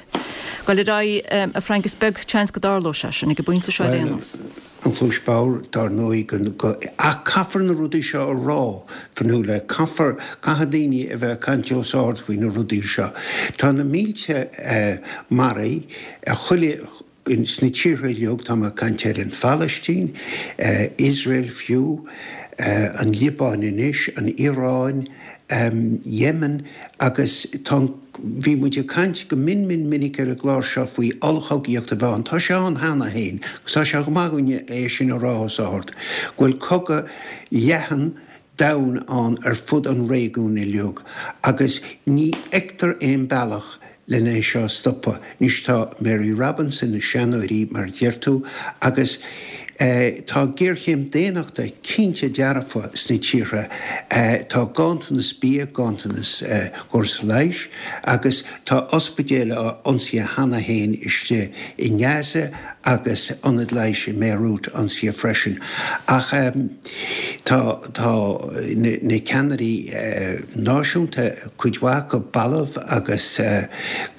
ar aghaidh, a Frank, is beag seans go dtarlóidh sé sin ag an bpointe seo ar aon nós. An chluais bhodhar, dar ndóigh, go, ach caithfear na rudaí seo a rá, Fionnuala, caithfear, caithfidh daoine a bheith ag caint os ard faoi na rudaí seo. Tá na mílte maraithe chuile, sna tíortha uilig, tá mé ag caint ar an Phalaistín, Iosrael fiú, an Liobáin anois, an Iaráin, Yemen agus tá an, bhí muid ag caint go mion mion minic ar an gclár seo faoi ollchogaíocht a bheith ann. Tá sé ann cheana féin agus tá sé go maith againne é sin a rá os ard, go bhfuil cogadh leathan domhain ann ar fud an réigiúin uilig agus ní fheictear aon bealach len é seo a stopadh. Anois tá Mary Robinson, na seanóirí mar a deir tú, agus tá géarchéim daonnachta cinnte dearfa sna tíortha. Tá ganntanas bia, ganntanas córas leighis agus tá ospidéil á ionsaithe cheana féin istigh i nGaza agus ionad leighis i mBeirut ionsaithe freisin. Ach tá tá na ceannairí náisiúnta, cuid mhaith acu balbh agus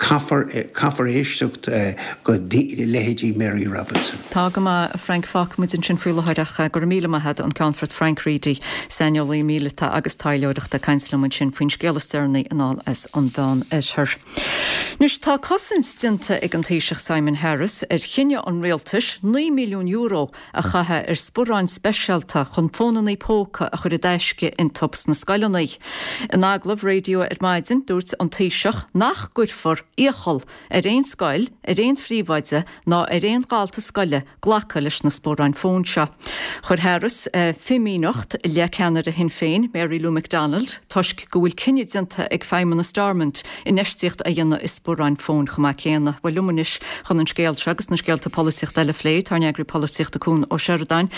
caithfear caithfear éisteacht go leithéidí Mary Robinson. Tá go maith, a Frank, fágfaidh muid ansin faoi láthair ach go raibh míle maith agat, an Ceannfort Frank Reidy, saineolaí míleata agus taidhleoireachta ag caint liom ansin faoin scéal is deireanaí anall as an Mheán Oirthear. Anois tá cosaint déanta ag an Taoiseach Simon Harris ar chinneadh an rialtais €9 milliún a chaitheamh ar sparáin speisialta chun fónannaí póca a chur i dtaisce iontu sna scoileanna. In agallamh raidió ar maidin, dúirt an Taoiseach nach gcuirfear iachall ar aon scoil, ar aon phríomhoide ná ar aon dhalta scoile glacadh leis na sparáin fóin seo. Chuir Harris fimíneacht i leith ceannaire Shinn Féin, Mary Lou McDonald, toisc go bhfuil cinneadh déanta ag Feidhmeannas Stormont infheistíocht a dhéanamh i sparáin fóin chomh maith céanna. Bhuel, liom anois chun an scéal seo agus na scéalta polaitíochta eile a phlé, tá ár n-eagraí polaitíochta Cuan Ó Seireadáin.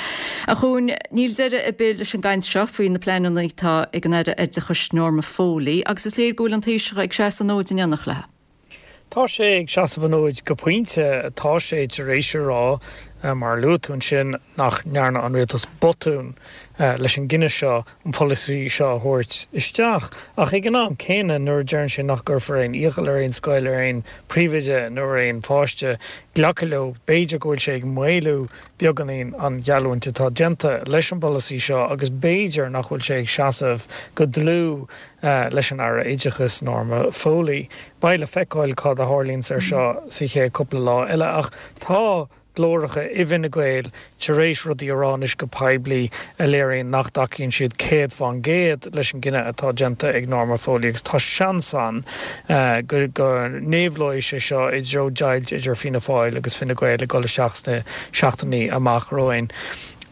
A Chuain, níl deireadh ar bith leis an gcaint seo faoi na pleananna atá ag an Aire Oideachais Norma Foley agus is léir go bhfuil an Taoiseach ag seasamh an fhóid in éineacht léi. Tá sé ag seasamh an fhóid go pointe. Tá sé tar éis a rá, mar a luaigh tú ansin, nach ndearna an rialtas botún leis an gcinneadh seo an polasaí seo a thabhairt isteach. Ach ag an am céanna, nuair a deireann sé nach gcuirfear aon iachall ar aon scoil, ar aon phríomhoide nó ar aon pháiste glacadh leo, b'fhéidir go bhfuil sé ag maolú beagáinín an gheallúint atá déanta leis an bpolasaí seo agus b'fhéidir nach bhfuil sé ag seasamh go dlúth leis an Aire Oideachais, Norma Foley. Beidh le feiceáil cad a tharlaíonns ar seo sa chéad cúpla lá eile ach tá glóracha i bhFine Gael tar éis rudaí a rá anois go poiblí a léiríonn nach dtacaíonn siad 100% leis an gcinneadh atá déanta ag Norma Foley agus tá seans ann go go n-éabhlóidh sé seo i dtreo deighilt idir Fianna Fáil agus Fine Gael ag dul isteach sna seachtainí amach romhainn.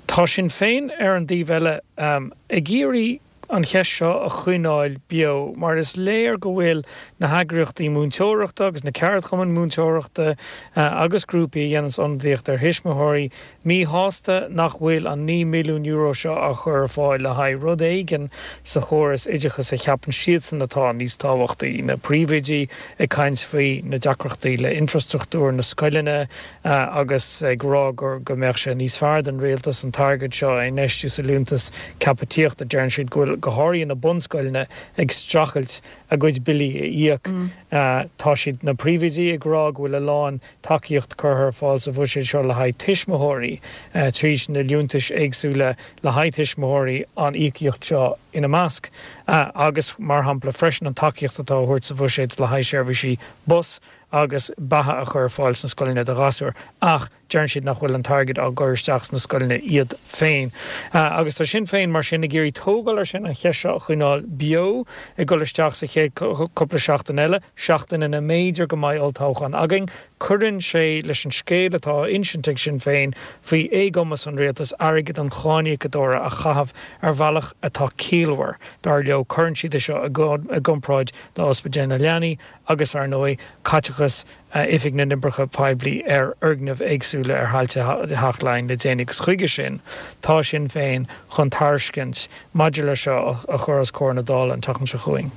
Tá Sinn Féin ar an dtaobh eile ag iarraidh an cheist seo a choinneáil beo mar is léir go bhfuil na heagraíochtaí múinteoireachta agus na ceardchumainn múinteoireachta agus grúpaí a dhéananns ionadaíocht ar thuismitheoirí míshásta nach bhfuil an €9 milliún seo á chur ar fáil le haghaidh rud éigin sa chóras oideachais a cheapann siadsan atá níos tábhachtaí. Na príomhoidí ag caint faoi na deacrachtaí le infrastruchtúr na scoileanna, agus ag rá gur go mbeadh sé níos fearr don rialtas an t-airgead seo a infheistiú sa liúntas ceaptha tithíochta. Deireann siad go bhfuil. go háirithe na bunscoileanna, ag streachailt a gcuid billí a íoc. Tá siad, na príomhoidí, ag rá go bhfuil a lán tacaíocht curtha ar fáil sa bhuiséad seo le haghaidh tuismitheoirí tríd na liúntais éagsúla le haghaidh tuismitheoirí, an íocaíocht seo ina measc, agus mar shampla freisin an tacaíocht atá á thabhairt sa bhuiséad le haghaidh seirbhísí bus agus beatha a chur ar fáil sna scoileanna do ghasúir. Ach deireann siad nach bhfuil an t-airgead á gcur isteach sna scoileanna iad féin. Agus tá Sinn Féin mar sin ag iarraidh tógáil ar sin, an cheist seo a choinneáil beo ag dul isteach sa chéad cúpla seachtain eile, seachtain ina mb'fhéidir go mbeidh olltoghchán againn. Cuireann sé leis an scéal atá á insint ag Sinn Féin faoi éagumas an rialtais airgead an cháiníocadóra a chaitheamh ar bhealach atá ciallmhar, dar leo. Cuireann siad é seo i gcomparáid le ospidéal na leanaí agus, ar ndóigh, caiteachas Oifig na nOibreacha Poiblí ar fhoirgnimh éagsúla ar thailte Theach Laighean le déanaí agus chuige sin tá Sinn Féin chun tairiscint maidir leis seo a chur os comhair na Dála an tseachtain seo chugainn.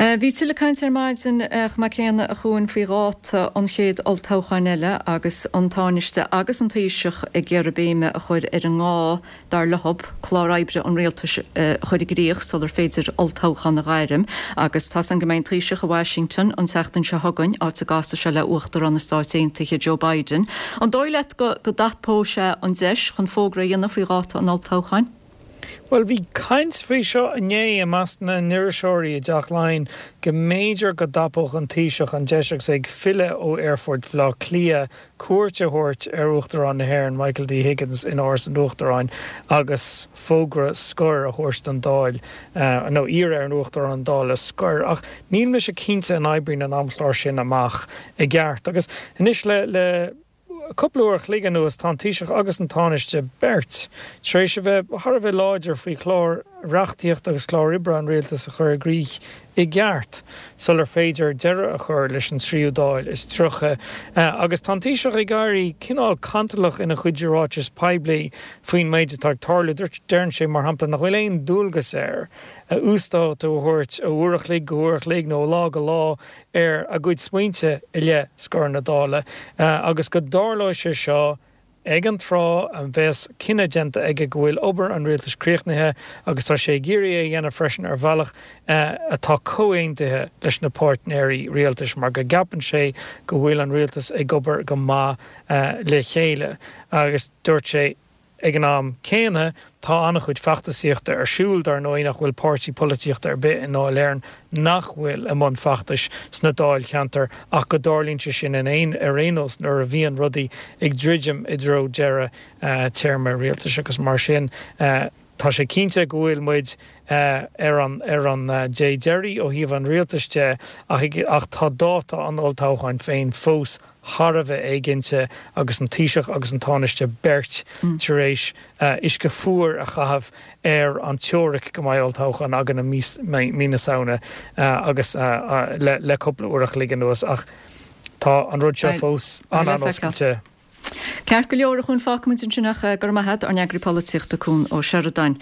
Bhí tuilleadh cainte ar maidin chomh maith céanna a Chuain faoi dháta an chéad olltoghcháin eile agus an Tánaiste agus an Taoiseach ag iarraidh béime a chur ar an ngá, dar leo, clár oibre an rialtais a chur i gcrích sular féidir olltoghchán a ghairm. Agus tá's againn go mbeidh an Taoiseach i Washington an tseachtain seo chugainn, áit a gcasfaidh sé le Uachtarán na Stáit Aontaithe Joe Biden. An dóigh leat go dtapóidh sé an deis chun fógra a dhéanamh faoi dháta an olltoghcháin? Bhuel, bhí caint faoi seo inné i measc na n-iriseoirí i dTeach Laighean go mb'fhéidir go dtapódh an Taoiseach an deis agus é ag filleadh ó Aerfort Bhaile Átha Cliath cuairt a thabhairt ar Uachtarán na hÉireann, Michael D. Higgins, in Áras an Uachtaráin agus fógra scoir a thabhairt don Dáil, nó iarraidh ar an Uachtarán an Dáil a scor. Ach níl mise cinnte an oibríonn an amchlár sin amach i gceart. Agus anois le. Cúpla uair a chloig anuas tá an Taoiseach agus an Tánaiste beirt tar éis a bheith thar a bheith láidir faoi chlár reachtaíochta agus clár oibre an rialtais a chur i gcrích i gceart sular féidir deireadh a chur leis an tríú Dáil is 30. Agus tá an Taoiseach ag éirí cineál cantalach ina chuid ráiteas poiblí faoin méid atá ag tarlú. Deireann sé, mar shampla, nach bhfuil aon dualgas air uasdátú a thabhairt ó uair a chloig go huair a chloig nó ó lá go lá ar a gcuid smaointe i leith scor na Dála agus go dtarlóidh sé seo ag an tráth a bheas cinneadh déanta aige go bhfuil obair an rialtais críochnaithe agus tá sé ag iarraidh é a dhéanamh freisin ar bhealach atá comhaontaithe leis na páirtnéirí rialtais mar go gceapann sé go bhfuil an rialtas ag obair go maith le chéile agus dúirt sé Ag an am céanna, tá an-chuid feachtasaíochta ar siúl, dar ndóigh, nach bhfuil páirtí polaitíochta ar bith i nDáil Éireann nach bhfuil i mbun feachtais sna dáilcheantair ach go dtarlaíonn sé sin in aon ar aon nós nuair a bhíonn rudaí ag druidim i dtreo deireadh téarma rialtais agus mar sin tá sé cinnte go bhfuil muid ar an ar an dé deiridh ó thaobh an rialtais de ach ach tá dáta an olltoghcháin féin fós thar a bheith éiginnte agus an Taoiseach agus an Tánaiste beirt tar éis uisce fuar a chaitheamh ar an teoiric go mbeidh olltoghchán againn i mí na Samhna agus le cúpla uair a chloig anuas ach tá an rud seo fós an-an-oscailte. Ceart go leor, a Chuain, fágfaimid ansin ach go raibh maith agat, ár n-eagraí polaitíochta Cuan Ó Seireadáin.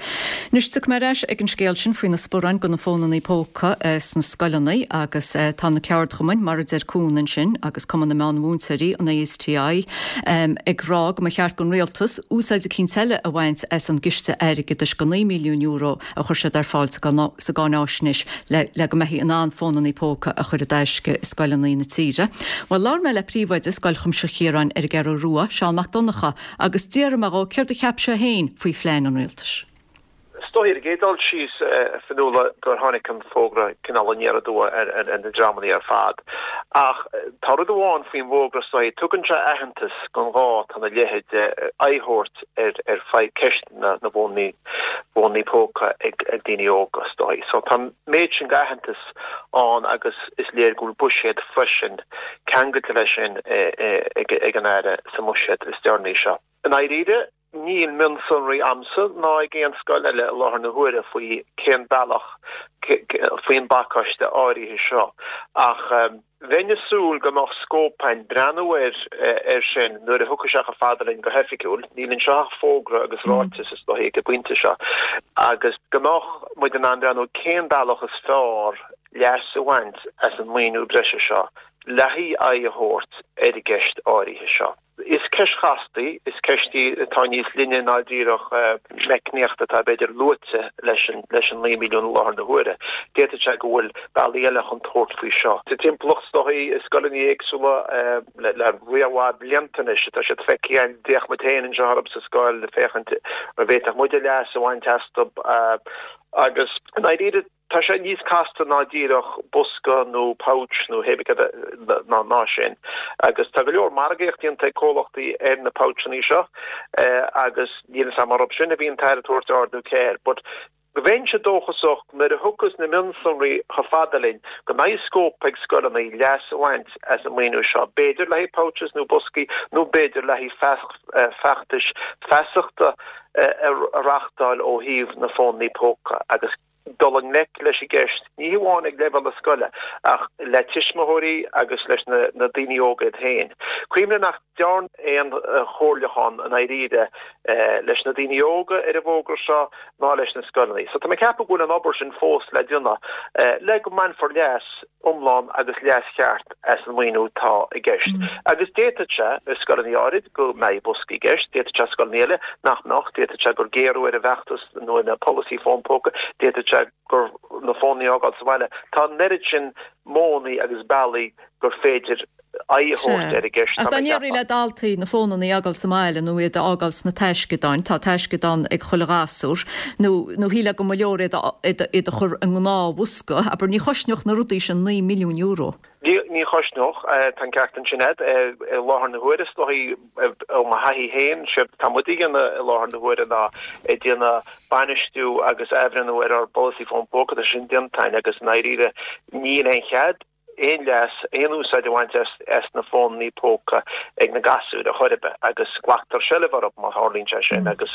Anois tiocfaidh mé ar ais ag an scéal sin faoi na sparáin do na fónannaí póca sna scoileanna agus tá na ceardchumainn, mar a deir Cuan ansin, agus Cumann na Meán-Mhúinteoirí, an ASTI, ag rá go mba cheart don rialtas úsáid eicínt eile a bhaint as an gciste airgeadais de €9 milliún a chuir siad ar fáil sa gcáináisnéis le go mbeifí in ann fónannaí póca a chur i dtaisce i scoileanna na tíre. Bhuel, labhair mé le príomhoide Scoil Chuimsitheach Chiaráin ar an gCeathrú Rua, Seán Mac Donncha, agus d'fhiafraigh mé dhó céard a cheap sé féin faoi phlean an rialtais. Is dóigh, ar an gcéad dul síos, a Fionnuala, gur tháinig an fógra cineál aniar aduaidh ar na dreamanna ar fad. Ach tá rud amháin faoin bhfógra, is dóigh, tugann sé aitheantas don ghá atá ina leithéid de aghaidh a thabhairt ar fadhb ceist na bhfónnaí póca ag daoine óga, is dóigh. So tá an méid sin d'aitheantas ann agus is léir go bhfuil buiséad freisin ceangailte leis sin ag an Aire sa mbuiséad is deireanaí seo. I ndáiríre, níl mionsonraí a'msa ná ag aon scoil eile i láthair na huaire faoi cén bealach faoin bpacáiste áirithe seo ach bheinn ag súil go mbeadh scóip a'inn breathnú air air sin nuair a thiocfaidh sé chomh fada linn go hoifigiúil. Níl anseo ach fógra agus ráiteas is dóigh ag an bpointe seo agus go mbeadh muid in ann breathnú cén bealach is fearr leas a bhaint as an maoiniú breise seo le haghaidh aghaidh a thabhairt ar an gceist áirithe seo. Is ceist chasta í, is ceist í atá níos linne ná díreach meicníocht atá b'fhéidir luaite leis an leis an 9 milliún i láthair na huaire. D'fhéadfadh sé go bhfuil bealaí eile chun tabhairt faoi seo. Sa timpeallacht is dóichí, i scoileanna éagsúla le le roinnt mhaith blianta anois atá siad feicthe againn, d'fhéach muid féin anseo orthu sa scoil ag féachaint an bhféadfadh muide leas a bhaint astu agus i ndáiríre, Tá sé níos casta ná díreach bosca nó pouch nó hé bith cad ná ná sin. Agus tá go leor margaíocht déanta ag comhlachtaí ar na poucheanna seo agus níl fhios a'm arb sin a bhí an tAire ag tabhairt aird nó cé air. But bheinnse dóchasach nuair a thiocfas na mionsonraí chomh fada linn go mbeidh scóip ag scoileanna leas a bhaint as an maoiniú seo, b'fhéidir le haghaidh pouches nó boscaí nó b'fhéidir le haghaidh feachtais feasachta a reachtáil ó thaobh na fónanna póca agus dul i ngleic leis an gceist, ní hamháin ag leibhéal na scoile, ach le tuismitheoirí agus leis na daoine óga iad féin. Cuimhnigh nach dearnadh aon chomhairliúchán i ndáiríre leis na daoine óga ar an bhfógra seo ná leis na scoileanna. So tá mé ag ceapadh go bhfuil an obair sin fós le déanamh le go mbainfear leas iomlán agus leas cheart as an maoiniú atá i gceist. Agus d'fhéadfadh sé, i scoileanna áirid, go mbeidh boscaí i gceist, d'fhéadfadh sé scoileanna eile nach mbeadh, d'fhéadfadh sé gur géarú ar an bhfeachtas nó ar na polasaí fón póca, d'fhéadfadh sé gur na fónanna a fhágáil sa bhaile. Tá an oiread sin modhanna agus bealaí gur féidir aghaidh a thabhairt ar an gceist, Ach tá dá mé ag ndéarfaí le ceapadh. daltaí na fónanna a fhágáil sa mbaile nó iad a fhágáil sna taisceadáin, tá taisceadán ag chuile ghasúr, nó nó shílfeá go mba leor iad a iad a chur i ngnáthbhosca, abair, ní chosnódh na rudaí sin €9 milliún. Ní ní chosnódh, tá an ceart ansin agat. I láthair na huaire, is dóichí, ó mo thaithí féin, séard atá muid a dhéanamh i láthair na huaire ná ag déanamh bainistiú agus athbhreithniú ar ár bpolasaí fón póca, tá sin déanta againn agus i ndáiríre níl aon chead, aon leas, aon úsáid a bhaint as na fónanna póca ag na gasúir ar chor ar bith agus glactar seilbh orthu má tharlaíonn sé sin agus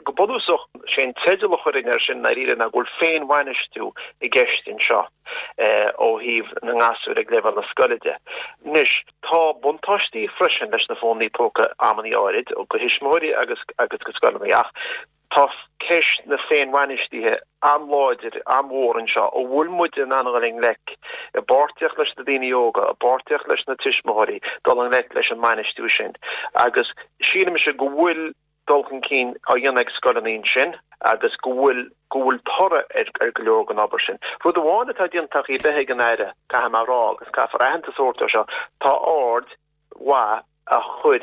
go bunúsach sé an teideal a chuirfinn air sin i ndáiríre ná go bhfuil féinbhainistiú i gceist anseo ó thaobh na ngasúr ag leibhéal na scoile de. Anois tá buntáistí freisin leis na fónanna póca amannaí áirid do thuismitheoirí agus agus do scoileanna ach Tá ceist na féinbhainistithe an-láidir, an-mhór anseo. An bhfuil muid in ann a dhul i ngleic, i bpáirtíocht leis na daoine óga, i bpáirtíocht leis na tuismitheoirí, dul i ngleic leis an mbainistiú sin? Agus sílimse go bhfuil dul chun cinn á dhéanamh ag scoileanna ansin agus go bhfuil go bhfuil toradh ar go leor den obair sin. Rud amháin atá déanta ar chor ar bith ag an Aire, caithfidh mé a rá, agus caithfear aitheantas a thabhairt dó seo, tá aird mhaith á chur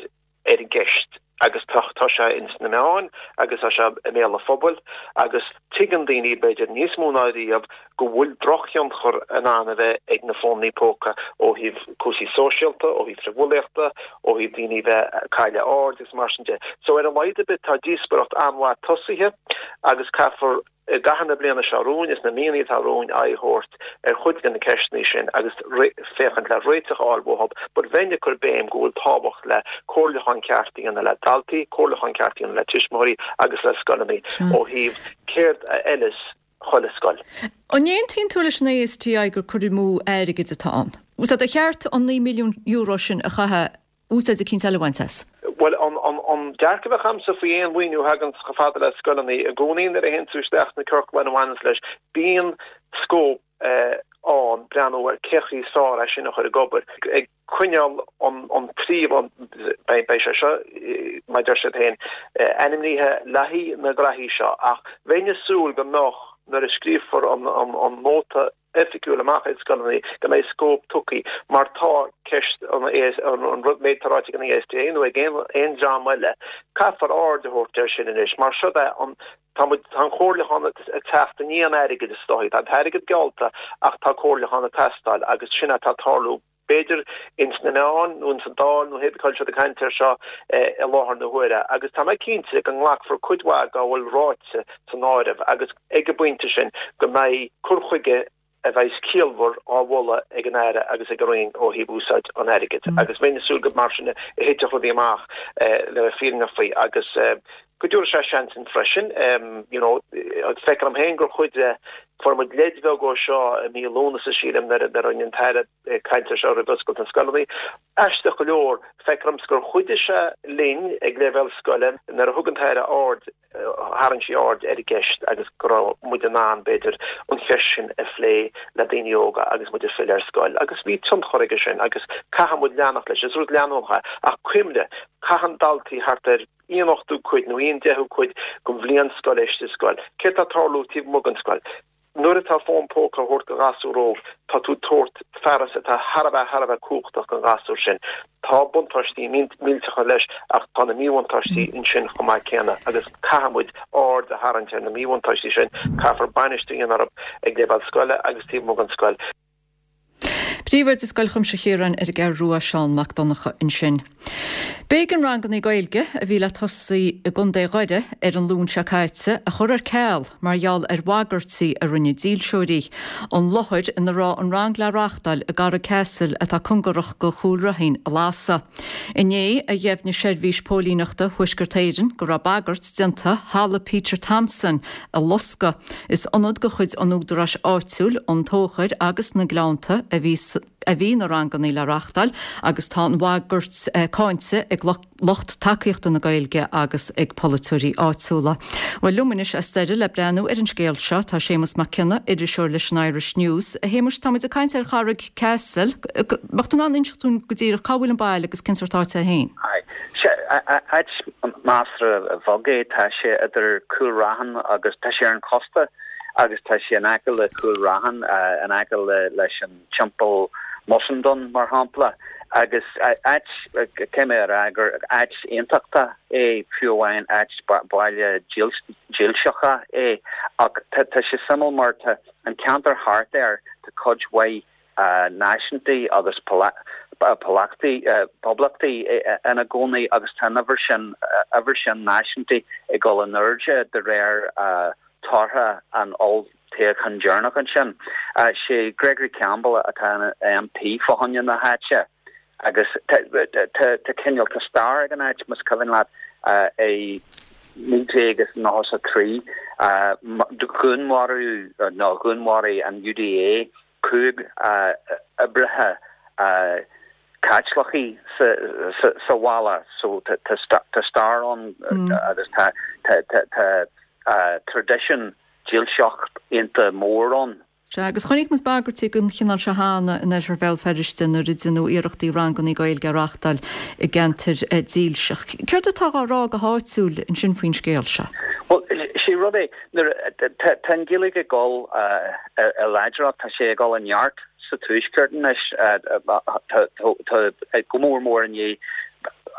ar an gceist agus tá tá sé ins na meáin agus tá sé i mbéal an phobail agus tuigeann daoine, b'fhéidir níos mó ná riamh, go bhfuil drochthionchar in ann a bheith ag na fónanna póca ó thaobh cúrsaí sóisialta, ó thaobh frithbhulaíochta, ó thaobh daoine bheith ag cailleadh aird agus mar sin de. So ar a laghad ar bith tá díospóireacht an-mhaith tosaithe agus caithfear i gcaitheamh na bliana seo romhainn is na míonna atá romhainn aghaidh a thabhairt ar chuid de na ceisteanna sin agus féachaint le réiteach a fháil uathu but bheinn ag cur béim go bhfuil tábhacht le comhairliúchán ceart a dhéanamh le daltaí, comhairliúchán ceart a dhéanamh le tuismitheoirí agus le scoileanna ó thaobh céard a fheileas chuile scoil. An n-aontaíonn tú leis an ASTI gur cur amú airgid atá ann? Sea, ba cheart an €9 milliún sin a chaitheamh úsáid eicínt eile a bhaint as. Bhuel, an dearcadh a bheadh agamsa faoi aon mhaoiniú a thagann chomh fada le scoileanna, i gcónaí nuair a théann tú isteach sna ciorcláin a bhaineanns leis, bíonn scóip ann breathnú ar cé chaoi is fearr é sin a chur ag obair, ag coinneáil an príomh, beidh sé seo, mar a deir siad féin, ainmnithe le haghaidh na graithí seo, ach bheinn ag súil go mbeadh, nuair a scríobfar an nóta, oifigiúil amach ag scoileanna go mbeidh scóip tugtha mar tá ceist an rud méid atá ráite ag an ASTI nó ag aon dream eile caithfear aird a thabhairt air sin anois mar siod é an tá muid tá an comhairliúchán ag teacht i ndiaidh an airgid is dóichí tá an t-airgead geallta ach tá comhairliúchán ag teastáil agus sin atá ag tarlú b'fhéidir, ins na meáin nó ins an Dáil nó hé bith cá bhfuil siad ag caint air seo i láthair na huaire. Agus tá mé cinnte go nglacfar cuid mhaith dá bhfuil ráite san áireamh agus ag an bpointe sin go mbeidh cur chuige a bheas ciallmhar á mholadh ag an Aire agus ag an Roinn ó thaobh úsáid an airgid. Agus bheinn ag súil go mar sin a thitfeadh rudaí amach le bheith fírinneach faoi agus. Go dtabharfaidh sé seans dúinn freisin, you know, feictear dom féin gur chuid de, fuair muid leid bheag ó seo i mí Lúnasa, sílim, nuair a rinne an tAire caint ar seo roimh oscailt na scoileanna. Aisteach go leor, feictear domsa gur chuidigh sé linn ag leibhéal scoile nuair a thug an tAire aird, tharraing sí aird ar an gceist agus go raibh muid in ann, b'fhéidir, an cheist sin a phlé le daoine óga agus muid ag filleadh ar scoil agus bhí tionchar aige sin agus caithfidh muid leanacht leis. Is rud leanúnach é ach cuimhnigh, caitheann daltaí thart ar aon ochtú cuid nó aon deichiú cuid den bhliain scoile istigh sa scoil. Céard atá ag tarlú taobh amuigh den scoil? Nuair atá fón póca á thabhairt do ghasúr óg, tá tú ag tabhairt fearas atá thar a bheith, thar a bheith cumhachtach don ghasúr sin. Tá buntáistí millteacha leis ach tá na míbhuntáistí ansin chomh maith céanna agus caithfidh muid aird a tharraingt ar na míbhuntáistí sin, caithfear bainistiú a dhéanamh orthu ag leibhéal scoile agus taobh amuigh den scoil. Príomhoide Scoil Chuimsitheach Chiaráin ar an gCeathrú Rua, Seán Mac Donncha ansin. B'éigean ranganna Gaeilge a bhí le tosaí i gContae Dhoire ar an Luan seo caite a chur ar ceal mar gheall ar bhagairtí a rinne dílseoirí. An láthair ina raibh an rang le reáchtáil i gCarraig Ceasail atá cóngarach go Chúil Raithin a lasadh. Inné a dheimhnigh Seirbhís Póilíneachta Thuaisceart Éireann go raibh bagairt déanta Halla Peter Thompson a loscadh. Is ionad de chuid an údaráis áitiúil, An Tóchar agus na Gleannta a bhí a bhí na ranganna le reáchtáil agus tá an bhagairt cáinte ag lucht tacaíochta na Gaeilge agus ag polaiteoirí áitiúla. Bhuel, liom anois as Doire le breathnú ar an scéal seo tá Séamus Mac Cionnaith, iriseoir leis an Irish News. A Shéamuis, tá muid ag caint ar Charraig Ceasail. Mbeadh tú in ann inseacht dúinn go díreach cá bhfuil an baile agus cén sórt áit é féin? Sea, áit measartha bheag é. Tá sé idir Cúil Raithin agus, tá sé ar an chósta agus tá sé in aice le Cúil Raithin, in aice leis an Teampall Mussenden, mar shampla. Agus áit, caithfidh mé a rá gur áit aontachtach é, fiú amháin, áit baile dílseach é. Ach tá sé suimiúil mar tá an ceantar thart air, tá cuid mhaith náisiúntaigh agus poblachtaigh ina gcónaí agus tá an uimhir sin uimhir sin náisiúntaigh ag dul in airde de réir tortha an olltoghcháin deireanach ansin. Sé Gregory Campbell atá ina MP fá choinne na háite agus tá cineál tá stair ag an áit más cuimhin leat i 1993 dhúnmharaíodh nó dhúnmharaigh an UDA 5 oibrithe Caitliceacha sa bhaile so tá stair ann agus tá traidisiún dílseach iontach mór ann. Sea, agus chonaic muid bagairtí den chineál seo cheana in oirthear Bhéal Feirste nuair a deineadh iarrachtaí ranganna Gaeilge a reáchtáil i gceantair dílseach. Céard atá á rá go háitiúil ansin faoin scéal seo? Bhuel, sé rud é, Nuair a, tá an Ghaeilge ag dul i láidreacht, tá sé ag dul i neart sa Tuaisceart anois, tá go mór mór i ndiaidh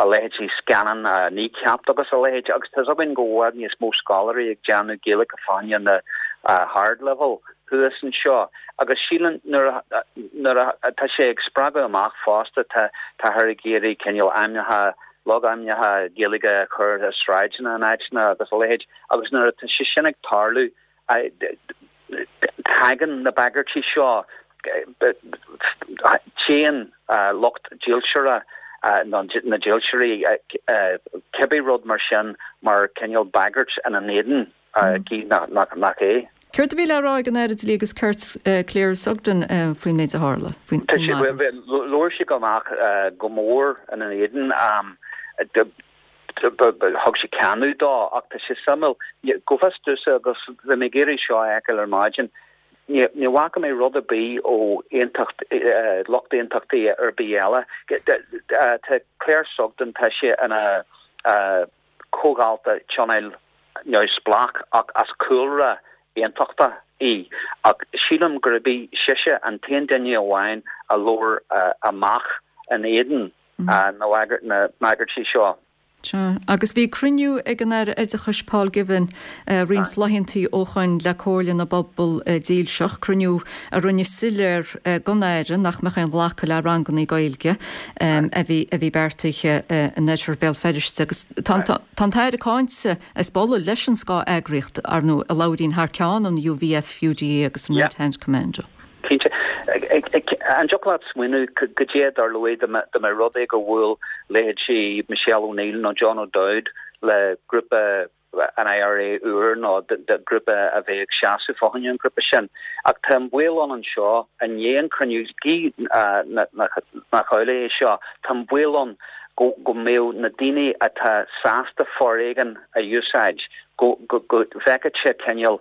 a leithéidí scannán Kneecap agus a leithéid, agus tá's againn go bhfuil i bhfad níos mó scoláirí ag déanamh Gaeilge fá choinne na hardleibhéal thuas anseo. Agus sílim nuair a, nuair a, tá sé ag spreagadh amach fosta, tá, táthar ag iarraidh cineál ainmneacha, logainmneacha Gaeilge a chur ar sráideanna in áiteanna agus a leithéid. Agus nuair atá sé sin ag tarlú, tagann na bagairtí seo, téann lucht dílseora, nó na dílseoirí, cibé rud mar sin mar cineál bagairt ina n-éadan, gidh nach é. Céard a bhí le rá ag an Aire Dlí agus Cirt, Claire Sugden faoin méid a tharla, faoin mbagairt? Labhair sí amach go mór ina n-éadan. Thug sí cáineadh dó, ach tá sé suimiúil, go bhfios domhsa, agus bhí mé ag iarraidh seo a fheiceáil ar maidin, ní bhfaca mé rud ar bith ó aontacht, lucht aontachtaí ar bith eile. Tá Claire Sugden, tá sí ina comhalta tionóil neamhspleách ach as cúlra aontachtach í, ach sílim gurb í sise an t-aon duine amháin a labhair amach in éadan na mbagairtí seo. Sea, agus bhí cruinniú ag an Aire Oideachais Paul Givan roinnt laethantaí ó shoin le Comhairle na bPobal Dílseach, cruinniú a rinne soiléir don Aire nach mbeadh aon ghlacadh le rangannaí Gaeilge a bhí a bhí beartaithe in oirthear Bhéal Feirste. Agus tá an tAire cáinte as bualadh leis an scáth-eagraíocht, ar ndóigh, a labhraíonn thar ceann an UVF, UDA agus an Red Hand Commando. Cinnte. An dtiocfadh leat smaoineamh goidé a dtarlóidh dá mba rud é gur bhuail leithéidí Michelle O'Neill nó John O'Dowd? le grúpa an IRA úr nó de ghrúpa a bheadh ag seasamh fá choinne an ghrúpa sin. Ach tá an baol ann anseo, i ndiaidh an chruinniú, gidh nach amhlaidh é seo, tá an baol ann go go mbeadh na daoine atá sásta foréigean a úsáid, go go bhfeicfeadh sé cineál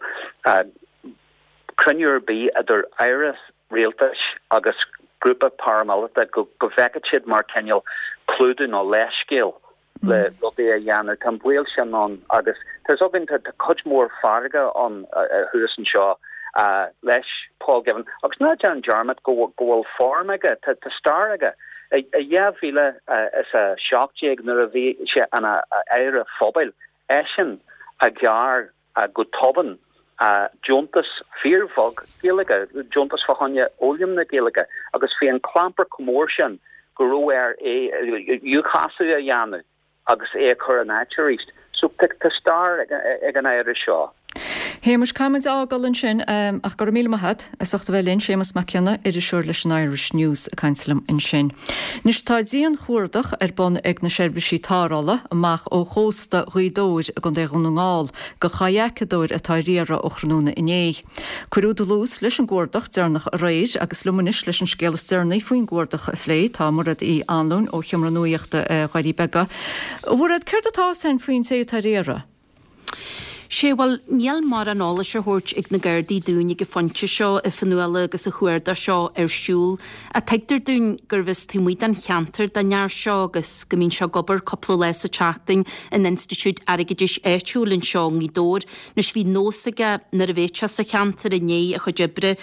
cruinniú ar bith idir aire rialtais agus grúpa paramíleata, go go bhfeicfeadh siad mar cineál clúdú nó leithscéal. le rudaí a dhéanamh. Tá an baol sin ann agus tá fhios againn tá cuid mhór fearga ann thuas anseo leis Paul Givan agus ná déan dearmad go bhfuil form aige, tá stair aige. I 2017 nuair a bhí sé ina Aire Phobail, eisean a ghearr go tobann deontas fíorbheag Gaeilge, deontas fá choinne fhoghlaim na Gaeilge agus bhí an clampar chomh mór sin go raibh air é iúchasadh a dhéanamh agus é a chur in áit arís. So tá stair ag an Aire seo. Shéamuis, caithfimid a fhágáil ansin ach go raibh míle maith agat as ucht a bheith linn. Séamus Mac Cionnaith, iriseoir leis an Irish News ag caint liom ansin. Anois tá dian-chuardach ar bun ag na seirbhísí tarrthála amach ó chósta Ghaoth Dobhair i gContae Dhún na nGall do chadhacadóir atá ar iarraidh ó thráthnóna inné. Cuireadh dlús leis an gcuardach deireanach aréir agus liom anois leis an scéal is deireanaí faoin gcuardach a phlé tá Mairéad Uí Anluain ó Sheomra Nuaíochta Dhoirí Beaga. A Mhairéad, céard atá 'fhios a'inn faoin té atá ar iarraidh? Sé, bhuel, níl mórán eolais á thabhairt ag na Gardaí dúinn ag an phointe seo, a Fionnuala, agus an chuardach seo ar siúl. Ach tuigtear dúinn gurbh as taobh amuigh den cheantar don fhear seo agus go mbíonn sé ag obair cúpla lá sa tseachtain in institiúid airgeadais áitiúil anseo i nGaoth Dobhair. Anois bhí nós aige nuair a bhéadh sé sa cheantar i ndiaidh a chuid oibre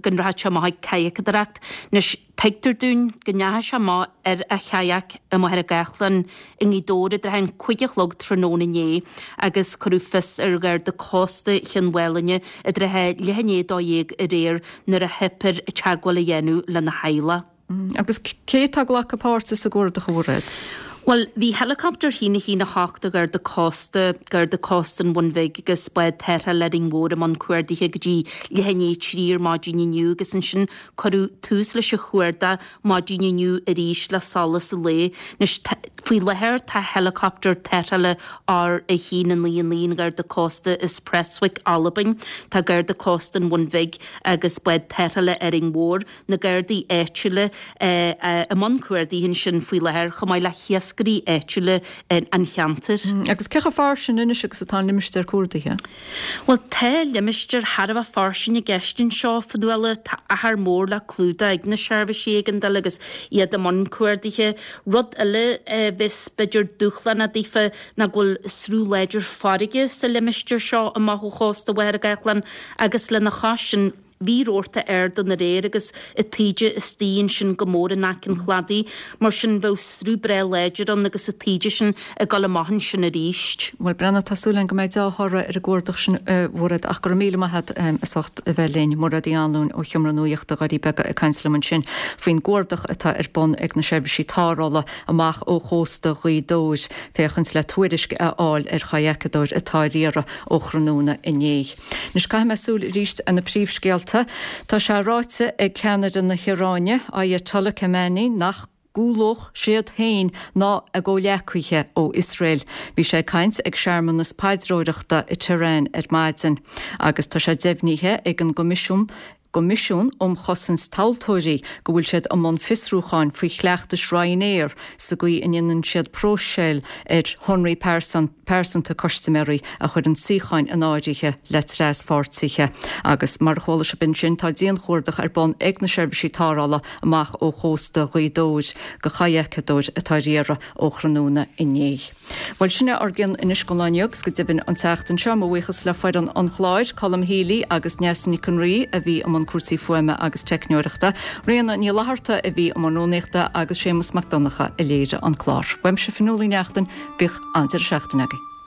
go rachadh sé amach ag cadhacadóireacht. Anois. Tuigtear dúinn go ndeachaigh sé amach ar a chadhac i Machaire Gathlán i nGaoth Dobhair i dtrátha an 5 a chlog tráthnóna inné agus cuireadh fios ar Gharda Cósta Chionn Mhálanna i dtrátha leath i ndiaidh 12 aréir nuair a theip air teagmháil a dhéanamh lena theaghlach. Agus cé atá ag glacadh páirte sa gcuardach, a Mhairéad? Bhuel, bhí Helicopter 1 1 8 de Gharda Cósta, Garda Cósta an Bhun Bhig agus bád tarrthála Árainn Mhór i mbun cuardaithe go dtí leath i ndiaidh 3 ar maidin inniu agus ansin Cuireadh tús leis an chuardach maidin inniu arís le solas an lae. Anois, faoi láthair tá helicopter tarrthála R1 9 9 an Gharda Cósta as Prestwick, Albain. Tá Garda Cósta an Bhun Bhig agus bád tarrthála Árainn Mhór, na Gardaí áitiúla, i mbun cuardaithe ansin faoi láthair, chomh maith le hiascairí áitiúla an cheantair. Agus cé chomh fairsing anois agus atá an limistéar cuardaithe? Bhuel, tá limistéar thar a bheith fairsing i gceist anseo, a Fhionnuala. Tá achar mór le clúdach ag na seirbhísí éigeandála agus iad i mbun cuardaithe. Rud eile a bheas b'fhéidir dúshlánach daofa ná go bhfuil sruth láidir farraige sa limistéar seo amach ó chósta Mhachaire Gathlán agus lena chois sin, Bhí rabharta ard ann aréir agus an taoide istigh ansin go mór in aice an chladaigh, mar sin bheadh sruth breá láidir ann agus an taoide sin ag dul amach ansin arís. Bhuel, breathnaigh, tá súil againn go mbeidh deá-thoradh ar an gcuardach sin, a Mhairéad, ach go raibh míle maith agat as ucht a bheith linn. Mairéad Uí Anluain ó Sheomra Nuaíochta Dhoirí Beaga ag caint liom ansin faoin gcuardach atá ar bun ag na seirbhísí tarrthála amach ó chósta Ghaoth Dobhair féachaint le tuairisc a fháil ar chadhacadóir atá ar iarraidh ó thráthnóna inné. Anois caithfidh mé súil arís ar na príomhscéalta. Tá sé ráite ag ceannaire na hIaráine, Ayatollah Khamenei, nach gcúlódh siad féin ná a gcomhghleacaithe ó Iosrael. Bhí sé ag caint ag searmanas paidreoireachta i Tehran ar maidin. Agus tá sé deimhnithe ag an gCoimisiún gCoimisiún um Chosaint Tomhaltóirí go bhfuil siad i mbun fiosrúcháin faoi chleachtais Ryanair sa gcaoi a ndéanann siad próiseáil ar shonraí pearsanta custaiméirí a chuireann suíocháin in áirithe le traspháirtithe. Agus mar a chuala sibh ansin, tá dianchuardach ar bun ag na seirbhísí tarrthála amach ó chósta Ghaoth Dobhair do chadhacadóir atá ar iarraidh ó thráthnóna inné. Bhuel, sin é ár gcion anois don lá inniu agus go deimhin an tseachtain seo. Mo bhuíochas le foireann an chláir, Colm Healy agus Neasa Nic an Rí a bhí i mbun cúrsaí fuaime agus teicneoireachta, Ríona Ní Fhlatharta a bhí i mbun rúnaíochta agus Séamus Mac Donncha a léirigh an clár. Uaimse Fionnuala Uí Neachtain, bíodh an-deireadh seachtaine agaibh.